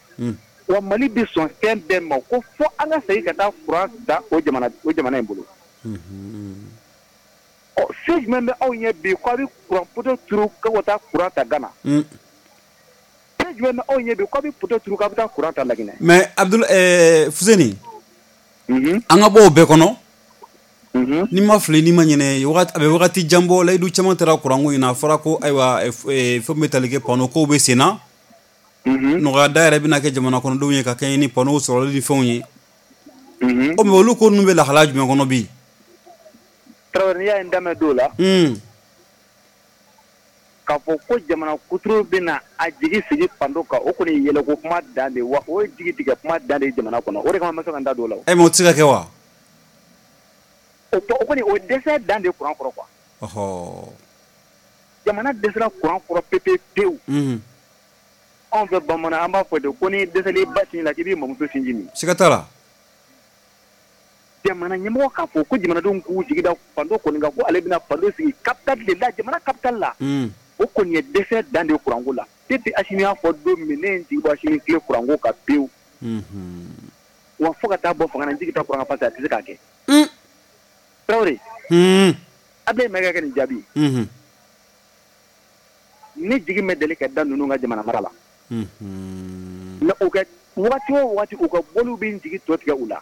Wa Mali bɛ sɔn fɛn bɛɛ ma ko fo an ka segin ka taa courant ta o jamana in bolo. Ɔ fɛn jumɛn bɛ aw ɲɛ bi k'aw bɛ courant poteau turu k'aw ka taa courant ta Ghana. Fɛn jumɛn bɛ aw ɲɛ bi k'aw bɛ poteau turu k'aw bɛ taa courant ta Laginɛ. Mais Abdoul Fuseni. An ka bɔ o bɛɛ kɔnɔ. N'i ma fili n'i ma ɲinɛ a bɛ wagati jan bɔ layidu caman taara courant ko in na, a fɔra ko ayiwa fɛn bɛ tali kɛ panneau kow bɛ sen na. Nɔgɔya da yɛrɛ bɛna kɛ jamana kɔnɔdenw ye ka kɛɲɛ ni panneau sɔrɔli ni fɛnw ye. O mais olu ko ninnu bɛ lahalaya jumɛn kɔnɔ bi? Tarawele, n'i y'a ye n da mɛn don o la. K'a fɔ ko jamana kuturu bɛna a jigi sigi panneau kan, o kɔni ye yɛlɛko kuma dan de ye wa o ye jigi tigɛ kuma dan de ye jamana kɔnɔ, o de kama n ma se ka n da don o la. Mais o tɛ se ka kɛ wa? O kɔni o dɛsɛ dan de ye courant kɔrɔ quoi. Ɔhɔ. Jamana dɛsɛra courant kɔrɔ pewu pewu. Anw fɛ bamanan an b'a fɔ de ko ni dɛsɛlen ba sin la k'i b'i mamuso sinji min. Siga t'a la. Jamana ɲɛmɔgɔ k'a fɔ ko jamanadenw k'u jigi da fando kɔni kan ko ale bɛna fando sigi capitale de la jamana capitale la. O kɔni ye dɛsɛ dan de ye courant ko la. Depuis Asimi y'a fɔ don min ne ye n jigi bɔ Asimi tile courant ko kan pewu. Wa fo ka taa bɔ fanga na n jigi tɛ courant kan parce que a tɛ se k'a kɛ. Tarawele. Ablaye Mayiga ka nin jaabi. Ne jigi ma deli ka da ninnu ka jamana mara la. Mais u ka wagati o wagati u ka bɔliw bɛ n jigi tɔ tigɛ u la.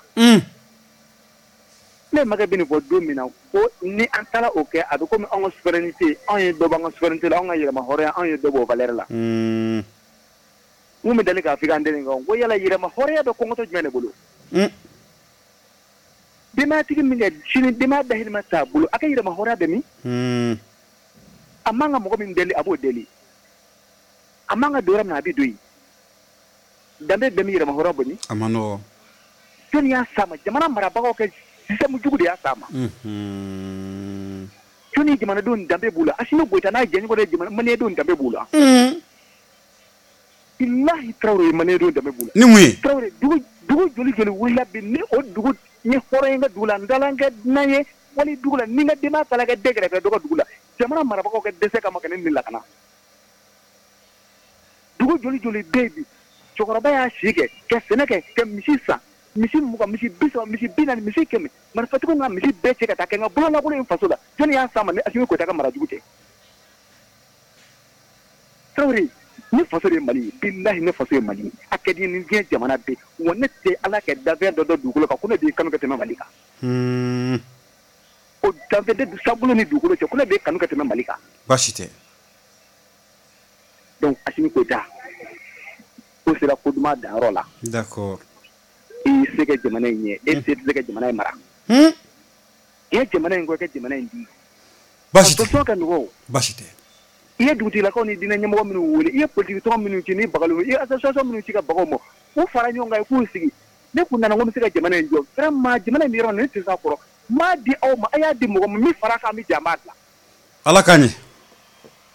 Ne makɛ bɛ nin fɔ don min na ko ni an taara o kɛ a bɛ komi anw ka souveraineté anw ye dɔ bɔ an ka souveraineté la anw ka yɛrɛma hɔrɔnya anw ye dɔ bɔ o valeur la. N kun bɛ deli k'a fɔ i ka antenne kan ko yala yɛrɛma hɔrɔnya bɛ kɔngɔtɔ jumɛn de bolo. Denbayatigi min kɛ sini denbaya dahirimɛ t'a bolo a ka yɛrɛma hɔrɔnya bɛ min. A man ka mɔgɔ min deli a b'o deli. A man ka don yɔrɔ min na a bɛ don yen. Danbe bɛɛ bɛ yɛrɛma hɔrɔnya bɔ min. A ma nɔgɔn. Jɔnni y'a s'a ma jamana marabagaw kɛ système jugu de y'a s'a ma. Jɔnni jamanadenw danbe b'u la Asimi Goyita n'a jɛɲɔgɔn de jamana maliyɛndenw danbe b'u la. Bilahi Tarawele maliyɛndenw danbe b'u la. Ni mun ye. Tarawele dugu joli joli wulila bi ni o dugu ni hɔrɔn ye ka dugu la n taara n kɛ dunan ye wali dugu la ni n ka denbaya taara kɛ den kɛrɛfɛ dɔ ka dugu la jamana marabagaw ka dɛsɛ kama ka ne ni lakana. Dugu joli joli bɛ yen bi cɛkɔrɔba y'a si kɛ ka sɛnɛ kɛ ka misi san misi 20 misi 30 misi 40 misi 100 marifatigiw ka misi bɛɛ cɛ ka taa kɛ n ka bololakolon in faso la jɔnni y'a s'a ma ni Asimi Goyita ka mara jugu tɛ. Tarawele ne faso de ye Mali ye bilahi ne faso ye Mali ye a ka di ni diɲɛ jamana bɛɛ wa ne tɛ Ala kɛ danfɛn dɔ dɔn dugukolo kan ko ne b'i kanu ka tɛmɛ Mali kan. O danfɛn tɛ sankolo ni dugukolo cɛ ko ne b'i kanu ka tɛmɛ Mali kan. Baasi tɛ. Donc Asimi Goyita ko sera ko duman danyɔrɔ la. D'accord. I y'i se kɛ jamana in ye e se tɛ se ka jamana in mara. I ye jamana in kɔ i ka jamana in di. Baasi tɛ. A ka nɔgɔn. Baasi tɛ. I ye dugutigilakaw ni diinɛ ɲɛmɔgɔ minnu wele i ye politique tɔn minnu ci ni bagali i ye association minnu ci ka bagaw ma u fara ɲɔgɔn kan i k'u sigi ne kun nana ko n bɛ se ka jamana in jɔ vraiment jamana in bɛ yɔrɔ min na ne tɛ s'a kɔrɔ n m'a di aw ma a y'a di mɔgɔ ma min fara kan bɛ jɛ an b'a dilan. Ala k'a ɲɛ.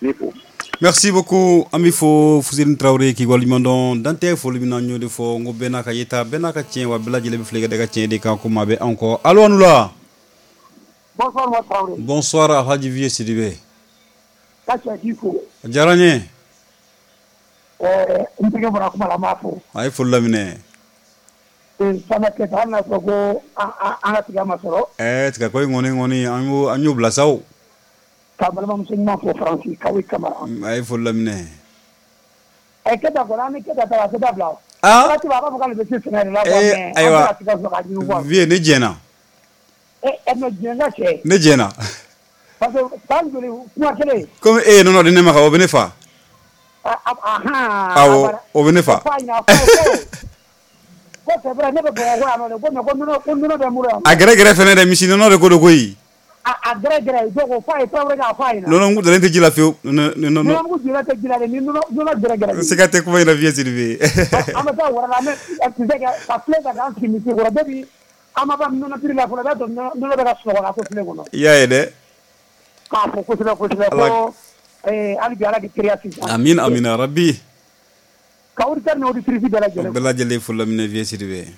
Ne fo. Merci beaucoup an b'i fo Fuseni Tarawele k'i waleɲuman dɔn dan tɛ foli min na n y'o de fɔ n ko bɛɛ n'a ka yeta bɛɛ n'a ka tiɲɛ wa bɛɛ lajɛlen bɛ fili ka da i ka tiɲɛ de kan ko maa bɛ anw kɔ allo aw ni wula. Bonsoir Umaru Tarawele. Bonsoir Alhaji Vieux Sidibe. Ka cɛ k'i fo. A diyara n ye. N terikɛ bɔra kuma la n b'a fo. A ye foli laminɛ. Sama Keyita hali n'a sɔrɔ ko an ka tiga ma sɔrɔ. Tiga ko in kɔni an y'o bila sa o. Ka balimamuso ɲuman fo Faransi Kawi Kamara. A ye foli laminɛ. Keyita kɔni an ni Keyita taara a tɛ dabila o. Waati bɛɛ a b'a fɔ k'ale bɛ se sɛnɛ de la quoi mais an bɛ ka tiga sɔrɔ k'a ɲimi quoi. Vieux ne jɛnna. Mais jɛn ka cɛ. Ne jɛnna. Parce que san joli kuma kelen. Komi e ye nɔnɔ di ne ma ka o bɛ ne fa. Awɔ o bɛ ne fa. Ko c'est vrai ne bɛ Bamakɔ yan nɔ dɛ ko mais ko nɔnɔ bɛ n bolo yan. A gɛrɛgɛrɛ fɛnɛ dɛ misi nɔnɔ de ko don koyi. A gɛrɛgɛrɛ donc o f'a ye Tarawele k'a f'a ɲɛna. Nɔnɔmugu dalen tɛ ji la fiyewu. Nɔnɔmugu jalen tɛ ji la dɛ ni nɔnɔ gɛrɛgɛrɛ. Siga tɛ kuma in na Vieux Sidibe. An bɛ taa wɛrɛ la an bɛ kisɛ kɛ ka filen ta k'an sigi misi kɔrɔ depuis an ma ban nɔnɔ piri la fɔlɔ i b'a sɔrɔ nɔnɔ bɛ ka sunɔgɔ ka to filen kɔnɔ. I y'a ye dɛ. K'a fɔ kosɛbɛ kosɛbɛ ko hali bi Ala k'i teriya sinsin. Amina amina rabi. Ka auditeur ni auditrice bɛɛ lajɛlen. Bɛɛ lajɛlen foli laminɛ Vieux Sidibe.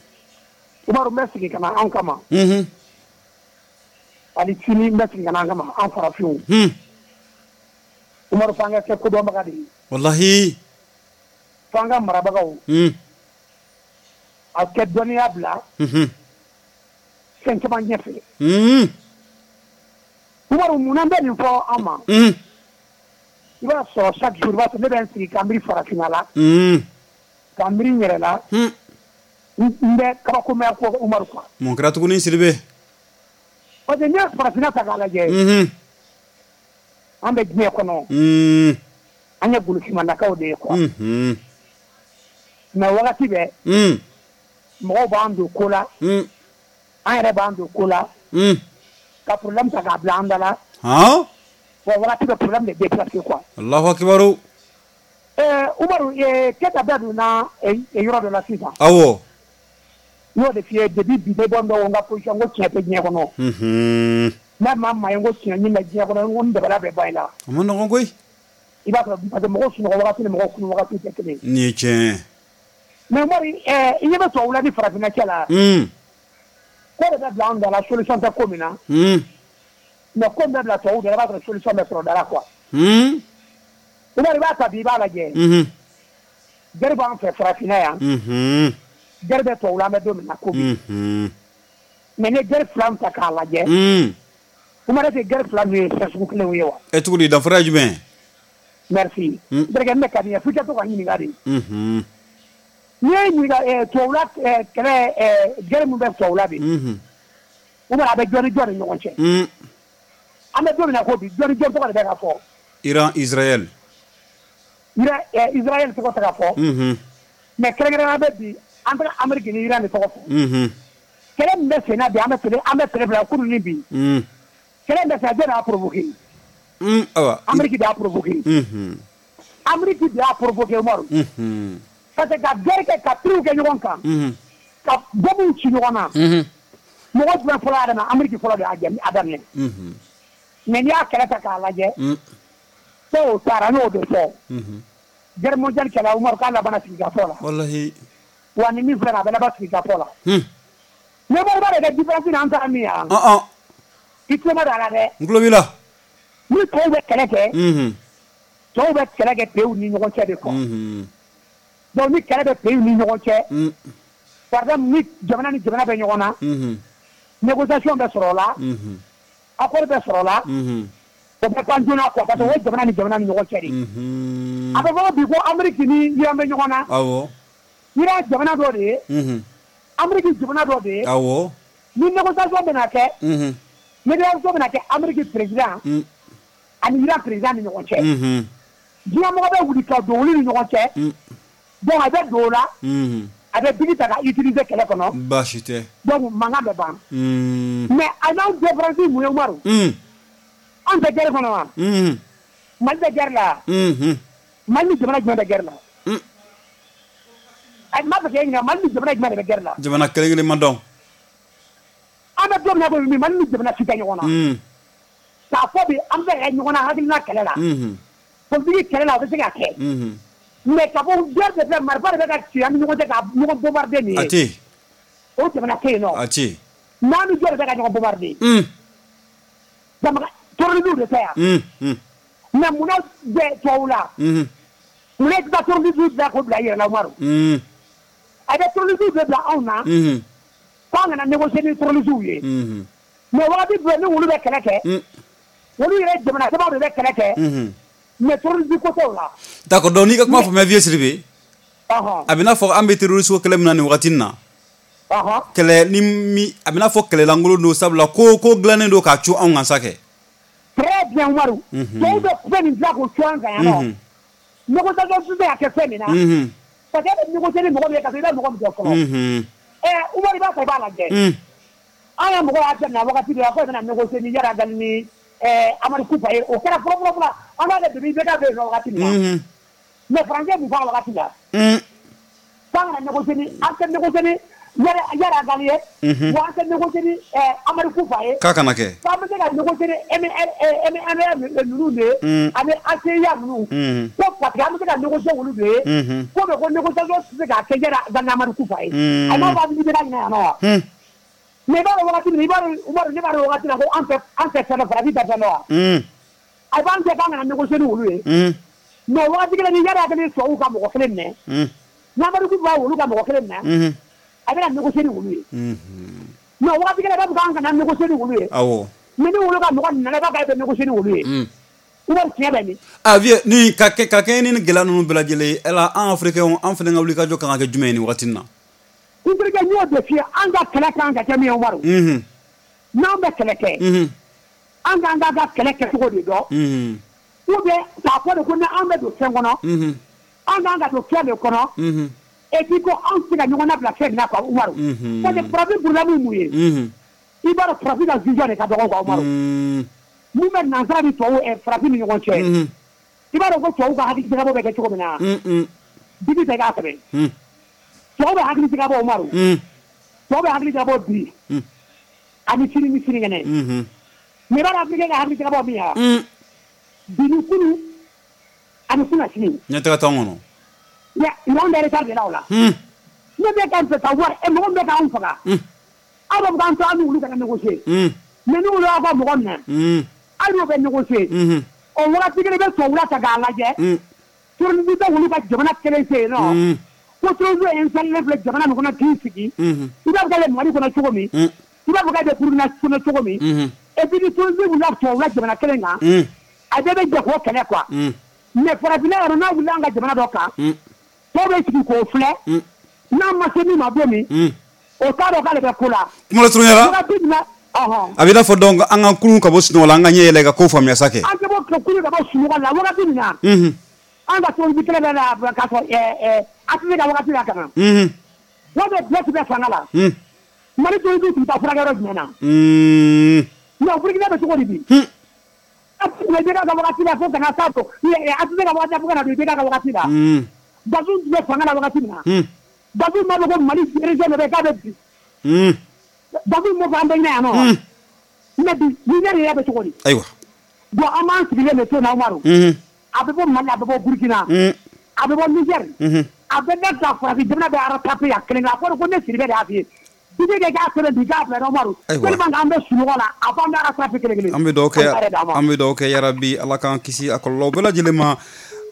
Umaru n bɛ segin ka na anw kama. Ani sini n bɛ segin ka na an kama an farafinw. Umaru f'an ka kɛ kodɔnbaga de ye. Walahi. F'an ka marabagaw. A kɛ dɔnniya bila. Fɛn caman ɲɛfɛ. Umaru munna n bɛ nin fɔ an ma. I b'a sɔrɔ chaque jour i b'a sɔrɔ ne bɛ n sigi ka miiri farafinna la. Ka miiri n yɛrɛ la. N bɛ kabakomaya ko Umaru quoi. Mun kɛra tuguni Sidibe? Parce que n'i ye farafinna ta k'a lajɛ. An bɛ diɲɛ kɔnɔ. An ye golofinmandakaw de ye quoi. Mais wagati bɛɛ. Mɔgɔw b'an don ko la. An yɛrɛ b'an don ko la. Ka problème ta k'a bila an da la. Bon wagati bɛ problème de déplacer quoi. Allahu akibaru. Umaru Keyita bɛɛ donna yɔrɔ dɔ la sisan. Awɔ. N y'o de f'i ye depuis bi ne bɔ n ka position ko tiɲɛ tɛ diɲɛ kɔnɔ. N'a ma maa ye ko tiɲɛ ɲini bɛ diɲɛ kɔnɔ n ko n dabali bɛ ban i la. A ma nɔgɔn koyi. I b'a sɔrɔ parce que mɔgɔw sunɔgɔ wagati ni mɔgɔw kunu wagati tɛ kelen ye. Nin ye tiɲɛ ye. Mais Umaru, i ɲɛ bɛ tubabula ni farafinna cɛ la. Ko de bɛ bila anw da la, solution tɛ ko min na. Mais ko min bɛ bila tubabuw da la, i b'a sɔrɔ solution bɛ sɔrɔ da la quoi. Umaru, i b'a ta bi, i b'a lajɛ. Guerre b'an fɛ farafinna yan. Guerre bɛ tubabula, an bɛ don min na ko bi. Mais ni ye guerre fila ta k'a lajɛ. Umaru, est-ce que guerre fila ninnu ye fɛn sugu kelenw ye wa? Ɛ, cogo di, danfara ye jumɛn ye? Merci. N terikɛ, ne ka di n ye f'i ka to ka ɲininka de. N'i ye ɲininka tubabula kɛlɛ, guerre min bɛ tubabula bi. Umaru, a bɛ jɔn ni jɔn ni ɲɔgɔn cɛ? An bɛ don min na ko bi, jɔn ni jɔn tɔgɔ de bɛ ka fɔ? Iran, Israël. Iran, Israël tɔgɔ tɛ ka fɔ. Mais kɛrɛnkɛrɛnnenya bɛ bi, an bɛ Amérique ni Iran de tɔgɔ fɔ. Kɛlɛ min bɛ sen na bi, an bɛ télé bila kunun ni bi. Kɛlɛ min bɛ sen na, jɔn de y'a provoqué? Awa. Amérique de y'a provoqué. Amérique de y'a provoqué, Umaru. Parce que ka guerre kɛ, ka prix kɛ ɲɔgɔn kan. Ka bombe ci ɲɔgɔn na. Mɔgɔ jumɛn fɔlɔ y'a daminɛ? Amérique fɔlɔ de y'a daminɛ. Mais n'i y'a kɛlɛ ta k'a lajɛ. Tôt ou tard, an y'o de fɔ. Guerre mondiale kɛlɛ, Umaru, k'a labanna sigikafɔ la. Wallahi. Wa ni min filɛ nin ye, a bɛ laban sigikafɔ la. Mais Umaru, b'a dɔn kɛ différence ni an taara min ye wa? I tulo ma don a la dɛ. N tulo b'i la. Ni tɔw bɛ kɛlɛ kɛ. Tɔw bɛ kɛlɛ kɛ pays ni ɲɔgɔn cɛ de quoi. Donc ni kɛlɛ bɛ pays ni ɲɔgɔn cɛ. Par exemple, ni jamana ni jamana bɛ ɲɔgɔn na. Négociation bɛ sɔrɔ o la. Accord bɛ sɔrɔ o la. O bɛ ban joona quoi, parce que o ye jamana ni jamana ni ɲɔgɔn cɛ de ye. A bɛ fɔ ko bi ko Amérique ni Iran bɛ ɲɔgɔn na. Iran jamana dɔ de ye. Amérique jamana dɔ de ye. Ni négociation bɛna kɛ. Négociation bɛna kɛ Amérique président ani Iran président ni ɲɔgɔn cɛ. Diɲɛmɔgɔ bɛ wuli ka don olu ni ɲɔgɔn cɛ. Donc a bɛ don o la. A bɛ bigi ta ka utiliser kɛlɛ kɔnɔ. Baasi tɛ. Donc mankan bɛ ban. Mais a n'anw différence mun ye, Umaru? Anw tɛ guerre kɔnɔ wa? Mali bɛ guerre la. Mali ni jamana jumɛn bɛ guerre la? A n b'a fɛ k'e ɲininka, Mali ni jamana jumɛn de bɛ guerre la? Jamana kelen kelen ma dɔn. An bɛ don min na ko bi, Mali ni jamana si tɛ ɲɔgɔn na. K'a fɔ bi an bɛ se ka kɛ ɲɔgɔn na hakilina kɛlɛ la. Politique kɛlɛ la, o bɛ se ka kɛ. Mais ka fɔ guerre de filɛ, marifa de bɛ ka ci an ni ɲɔgɔn cɛ ka ɲɔgɔn bombarder nin A ye. tɛ yen. O jamana tɛ yen nɔ. A tɛ yen. N'an ni jɔn de bɛ ka ɲɔgɔn bombarder? Jamana terrorisme de tɛ yan. Mais munna bɛ tubabu la? Munna i tɛ taa terrorisme bila k'o bila i yɛrɛ la, Umaru? A bɛ terrorisme de bila anw na. K'an kana négocier ni terrorisme ye. Mais wagati bɛɛ ni olu bɛ kɛlɛ kɛ. Olu yɛrɛ jamana sabaw de bɛ kɛlɛ kɛ. Mais terrorisme ko t'o la. D'accord, donc n'i ka kuma faamuya, vieux Sidibe. A bɛ n'a fɔ an bɛ terroriste ko kɛlɛ min na nin wagati in na. Kɛlɛ ni mi a bɛ n'a fɔ kɛlɛlankolon don, sabula ko dilannen don k'a cu anw kan sa kɛ. Très bien, Umaru. Tɔw bɛ fɛn min dilan k'o cu an kan yan nɔ. Négociation tɛ se ka kɛ fɛn min na. Parce que e bɛ négocier ni mɔgɔ min ye, ka sɔrɔ i bɛ mɔgɔ min dɔn fɔlɔ. Umaru, i b'a fɔ i b'a lajɛ. An ka mɔgɔw y'a daminɛ wagati dɔ la ko bɛna négocier ni Iyad Ghali ni Amadu Kufa ye. O kɛra fɔlɔ fɔlɔ fɔlɔ. An b'a kɛ depuis IBK bɛ yen nɔ wagati min na. Mais français mun fɔ a wagati la? K'an kana négocier ni, an tɛ négocier ni Iyad Ghali ye. Wa an tɛ négocier ni Amadu Kufa ye. K'a kana kɛ. K'an bɛ se ka négocier ni MNLA ninnu de ye. Ani ACIA ninnu. Ko parce que an bɛ se ka négocier olu de ye. Ko mais ko négociation tɛ se ka kɛ Iyad Ghali ni Amadu Kufa ye. A m'a fɔ a bɛ IBK ɲinɛ yan nɔ wa? Mais i b'a dɔn wagati min, i b'a dɔn Umaru, ne b'a dɔn wagati la ko an tɛ fɛn dɔn, farafin tɛ fɛn dɔn wa? A b'an jɛ k'an kana négocier ni olu ye. Mais wagati kelen ni Iyad Ghali tubabuw ka mɔgɔ kelen minɛ. Ni Amadu Kufa olu ka mɔgɔ kelen minɛ. A bɛna négocier ni olu ye. Mais wagati kelen a b'a fɔ k'an kana négocier ni olu ye. Mais ni olu ka mɔgɔ nana, i b'a fɔ k'a bɛ négocier ni olu ye. Umaru, tiɲɛ bɛ min? Ah vieux, ni ka kɛ ka kɛɲɛ ni nin gɛlɛya ninnu bɛɛ lajɛlen ye, yala an Africains, an fana ka wuli ka jɔ kan ka kɛ jumɛn ye nin wagati in na? N terikɛ, n y'o de f'i ye, an ka kɛlɛ kan ka kɛ min ye, Umaru. N'an bɛ kɛlɛ kɛ. An k'an ka kɛlɛ kɛcogo de dɔn. Ou bien k'a fɔ de ko ni an bɛ don fɛn kɔnɔ. An k'an ka don fɛn de kɔnɔ. Et puis ko anw tɛ se ka ɲɔgɔn labila fɛn min na quoi, Umaru. Parce que farafin problème ye mun ye? I b'a dɔn farafin ka vision de ka dɔgɔ quoi, Umaru. Mun bɛ nansara ni tubabu farafin ni ɲɔgɔn cɛ. I b'a dɔn ko tubabu ka hakili jagabɔ bɛ kɛ cogo min na. Bibi tɛ k'a sɛbɛn. Tubabu bɛ hakili jagabɔ, Umaru. Tubabu bɛ hakili jagabɔ bi. Ani sini ni sinikɛnɛ. Mais i b'a dɔn Africain ka hakili jagabɔ min ye wa? Bi ni kunu. A bɛ kunasini. Ɲɛtaga t'anw kɔnɔ. Mais anw bɛ retard de la o la. Ne bɛ k'an fɛ ka wari mɔgɔ min bɛ k'anw faga. Aw b'a fɔ k'an to an n'olu kana négocier. Mais n'olu y'aw ka mɔgɔ minɛ. Hali n'o bɛ négocier. O wagati kelen i bɛ tubabula ta k'a lajɛ. Terrorisme tɛ olu ka jamana kelen fɛ yen nɔ. Ko terrorisme ye installé filɛ jamana min kɔnɔ k'i sigi. I b'a fɔ k'ale Mali kɔnɔ cogo min. I b'a fɔ k'ale bɛ Burukina kɔnɔ cogo min. Et puis ni terrorisme wulila tubabula jamana kelen kan. A bɛɛ bɛ jɛ k'o kɛlɛ quoi. Mais farafinna yɛrɛ n'a wulila an ka jamana dɔ kan. Tɔw bɛ sigi k'o filɛ. N'a ma se min ma don min. O t'a dɔn k'ale bɛ ko la. Kuma lasurunya la. A bɛ i n'a fɔ donc an ka kurun ka bɔ sunɔgɔ la an ka ɲɛ yɛlɛ ka ko faamuya sa kɛ. An tɛ bɔ kurun ka bɔ sunɔgɔ la wagati min na. An ka terrorisme kɛlɛ bɛ na k'a fɔ ATT ka wagati la ka na. Wari bɛ bɛɛ tun bɛ fanga la. Mali terrorisme tun bɛ taa furakɛ yɔrɔ jumɛn na. Mais Burukina bɛ cogo di bi. IBK ka wagati la fo ka na s'a ATT ka wagati la fo ka na don IBK ka wagati la. Bazoum tun bɛ fanga la wagati min na. Bazoum b'a fɔ ko Mali région dɔ bɛ yen k'a bɛ bi. Bazoum m'o fɔ an bɛɛ ɲɛna yan nɔ. Mais bi Niger yɛrɛ bɛ cogo di. Ayiwa. Bon an b'an sigilen de to yen na Umaru. A bɛ bɔ Mali a bɛ bɔ Burukina. A bɛ bɔ Niger. A bɛ ne ka farafin jamana bɛ rattraper yan kelen kelen a fɔra ko ne Sidibe de y'a f'i ye. Sidibe de k'a sɛbɛn bi k'a bila Umaru. Tellement que an bɛ sunɔgɔ la a fɔ an bɛ rattraper kelen kelen. An bɛ dugawu kɛ an bɛ dugawu kɛ yarabi Ala k'an kisi a kɔlɔlɔ bɛɛ lajɛlen ma.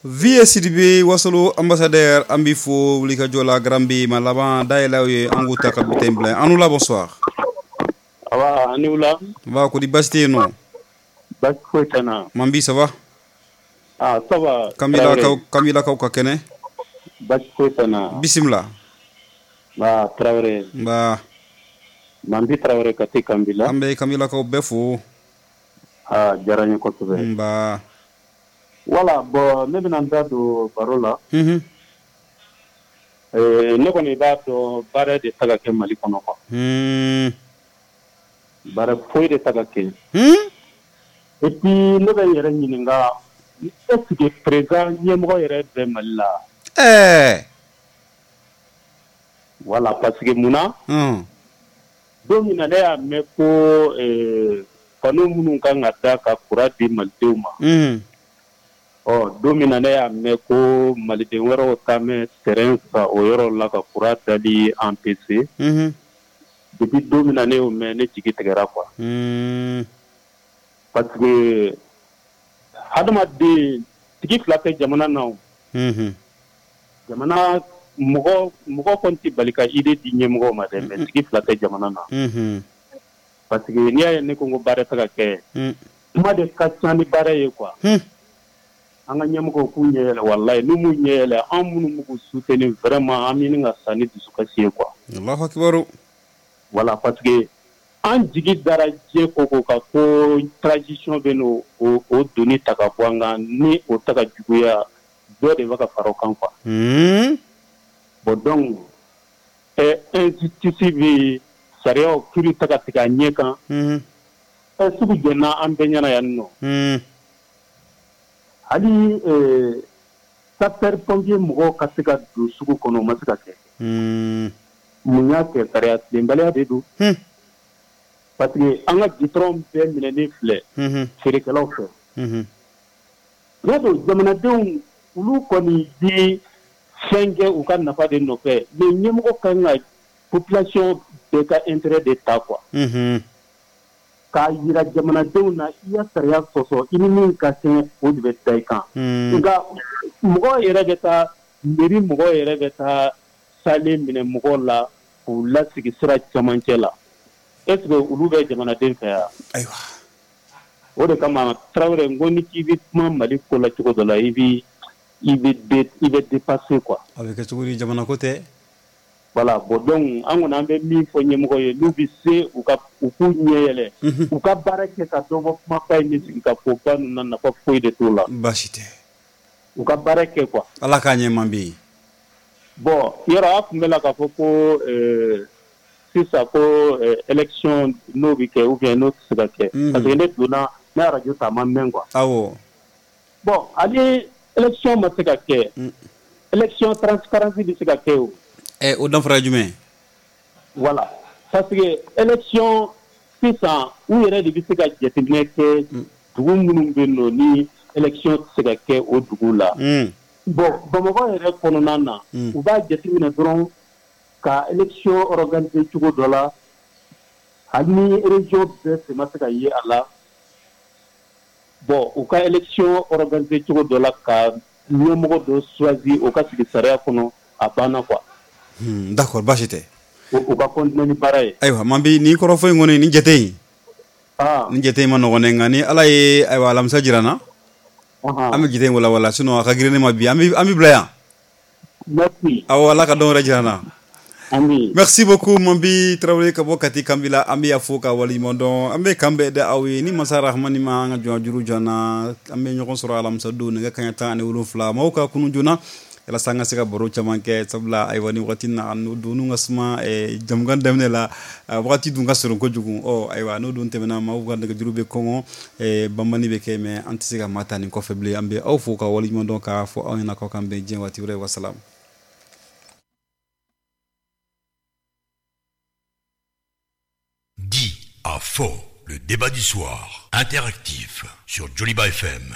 Vie Sidibe Wasolo ambassadeur an b'i fo wulikajɔ la Garan ma laban dayɛlɛ ye an k'u ta ka bulletin bila an la bonsoir. Aba ani wula. Ba ko di baasi tɛ yen nɔ. Baasi foyi tɛ n na. Manbi ça va. Ah ça va. Kamilakaw ka kɛnɛ. Baasi foyi tɛ n na. Bisimila. Ba Tarawele. Nba. Manbi Tarawele ka te Kanbila. An bɛ Kamilakaw bɛɛ fo. Ah diyara n ye kosɛbɛ. Nba. Voilà bon ne bɛna n da don baro la. Ne kɔni b'a dɔn baara de ta ka kɛ Mali kɔnɔ quoi. Baara foyi de ta ka kɛ. Et puis ne bɛ n yɛrɛ ɲininka est-ce que président ɲɛmɔgɔ yɛrɛ bɛ Mali la. Voilà parce que mun na. Don min na ne y'a mɛn ko panneau minnu kan ka da ka courant di malidenw ma. Ɔ don min na ne y'a mɛn ko maliden wɛrɛw taa mɛn terrain san o yɔrɔ la ka courant dali empêcher. Depuis don min na ne y'o mɛn ne jigi tigɛra quoi. Parce que hadamaden tigi fila tɛ jamana na o. Jamana mɔgɔ kɔni tɛ bali ka idée di ɲɛmɔgɔw ma dɛ mais tigi fila tɛ jamana na. Parce que n'i y'a ye ne ko baara tɛ ka kɛ. Kuma de ka ca ni baara ye quoi. An ka ɲɛmɔgɔw k'u ɲɛ yɛlɛ walayi n'u m'u ɲɛ yɛlɛ an minnu b'u k'u soutenir vraiment an bɛ ɲini ka sa ni dusukasi ye quoi. Alahu akibaru. Voilà parce que an jigi dara diɲɛ ko ko kan ko transition bɛ n'o o doni ta ka bɔ an kan ni o ta ka juguya dɔ de bɛ ka fara o kan quoi. Bon donc injustice bɛ sariyaw kiiri ta ka tigɛ a ɲɛ kan. Sugu jɛnna an bɛɛ ɲɛna yan nɔ. Hali sapeur pompier mɔgɔw ka se ka don sugu kɔnɔ o ma se ka kɛ. Mun y'a kɛ sariya tilenbaliya de don. Parce que an ka goudron bɛɛ minɛnen filɛ feerekɛlaw fɛ. N'a don jamanadenw olu kɔni bi fɛn kɛ u ka nafa de nɔfɛ mais ɲɛmɔgɔ kan ka population bɛɛ ka intérêt de ta quoi. K'a yira jamanadenw na i ya sariya sɔsɔ i ni min ka kɛn o de bɛ da i kan. Nka mɔgɔw yɛrɛ bɛ taa mairie mɔgɔw yɛrɛ bɛ taa salen minɛ mɔgɔw la k'u lasigi sira camancɛ la est ce que olu bɛ jamanaden fɛ yan. Ayiwa. O de kama Tarawele n ko ni k'i bɛ kuma Mali ko la cogo dɔ la i bɛ dépasser quoi. A bɛ kɛ cogo di jamana ko tɛ. Voilà bon donc an kɔni an bɛ min fɔ ɲɛmɔgɔ ye n'u bɛ se u k'u ɲɛ yɛlɛ. U ka baara kɛ ka dɔ bɔ kumaba in ni sigikafɔba ninnu na nafa foyi de t'o la. Baasi tɛ. U ka baara kɛ quoi. Ala k'a ɲɛ man bi. Bon yɔrɔ a tun bɛ la k'a fɔ ko sisan ko élection n'o bɛ kɛ ou bien n'o tɛ se ka kɛ. Parce que ne donna ne radio ta a ma mɛn quoi. Awɔ. Bon hali élection ma se ka kɛ. Élection transparence bɛ se ka kɛ o. O danfara ye jumɛn ye. Voilà parce que élection sisan u yɛrɛ de bɛ se ka jateminɛ kɛ dugu minnu bɛ yen nɔ ni Élection tɛ se ka kɛ o dugu la. Bon, Bamakɔ yɛrɛ kɔnɔna na, u b'a jateminɛ dɔrɔn ka élection organiser cogo dɔ la, hali ni région bɛɛ sen ma se ka ye a la. Bon, u ka élection organiser cogo dɔ la ka ɲɛmɔgɔ dɔ choisi, o ka sigi sariya kɔnɔ, a banna quoi. D'accord, baasi tɛ. U ka continuer ni baara ye. Ayiwa, man bi nin kɔrɔfɔ in kɔni, nin jate in, nin jate in ma nɔgɔn dɛ, nka ni Ala ye ayiwa alamisa jira n na, an bɛ jate in walawala, sinon a ka girin ne ma bi, an bɛ bila yan. Merci. Awɔ, Ala ka dɔn wɛrɛ jira n na. Amin. Merci beaucoup Mambi Traoré ka bɔ Kati Kanbila, an bɛ fo ka waleɲuman dɔn. An bɛ kan bɛɛ da aw ye ni masa Rahamani ma an ka jɔn juru jɔ an na, an bɛ ɲɔgɔn sɔrɔ alamisa don nɛgɛ kanɲɛ 17 maaw ka kunun joona walasa an ka se ka baro caman kɛ, sabula ayiwa ni wagati na donnu ka suma jamukan daminɛ la, wagati dun ka surun kojugu. Ɔ ayiwa, n'o dun tɛmɛna, maaw ka nɛgɛjuru bɛ kɔngɔ, banbani bɛ kɛ, mais an tɛ se ka maa ta nin kɔfɛ bilen. An bɛ aw fo ka waleɲuman dɔn k'a fɔ aw ɲɛna k'aw k'an bɛn diɲɛ waati wɛrɛ. Wasalam. Dit à faux, le débat du soir, interactif sur Joliba FM.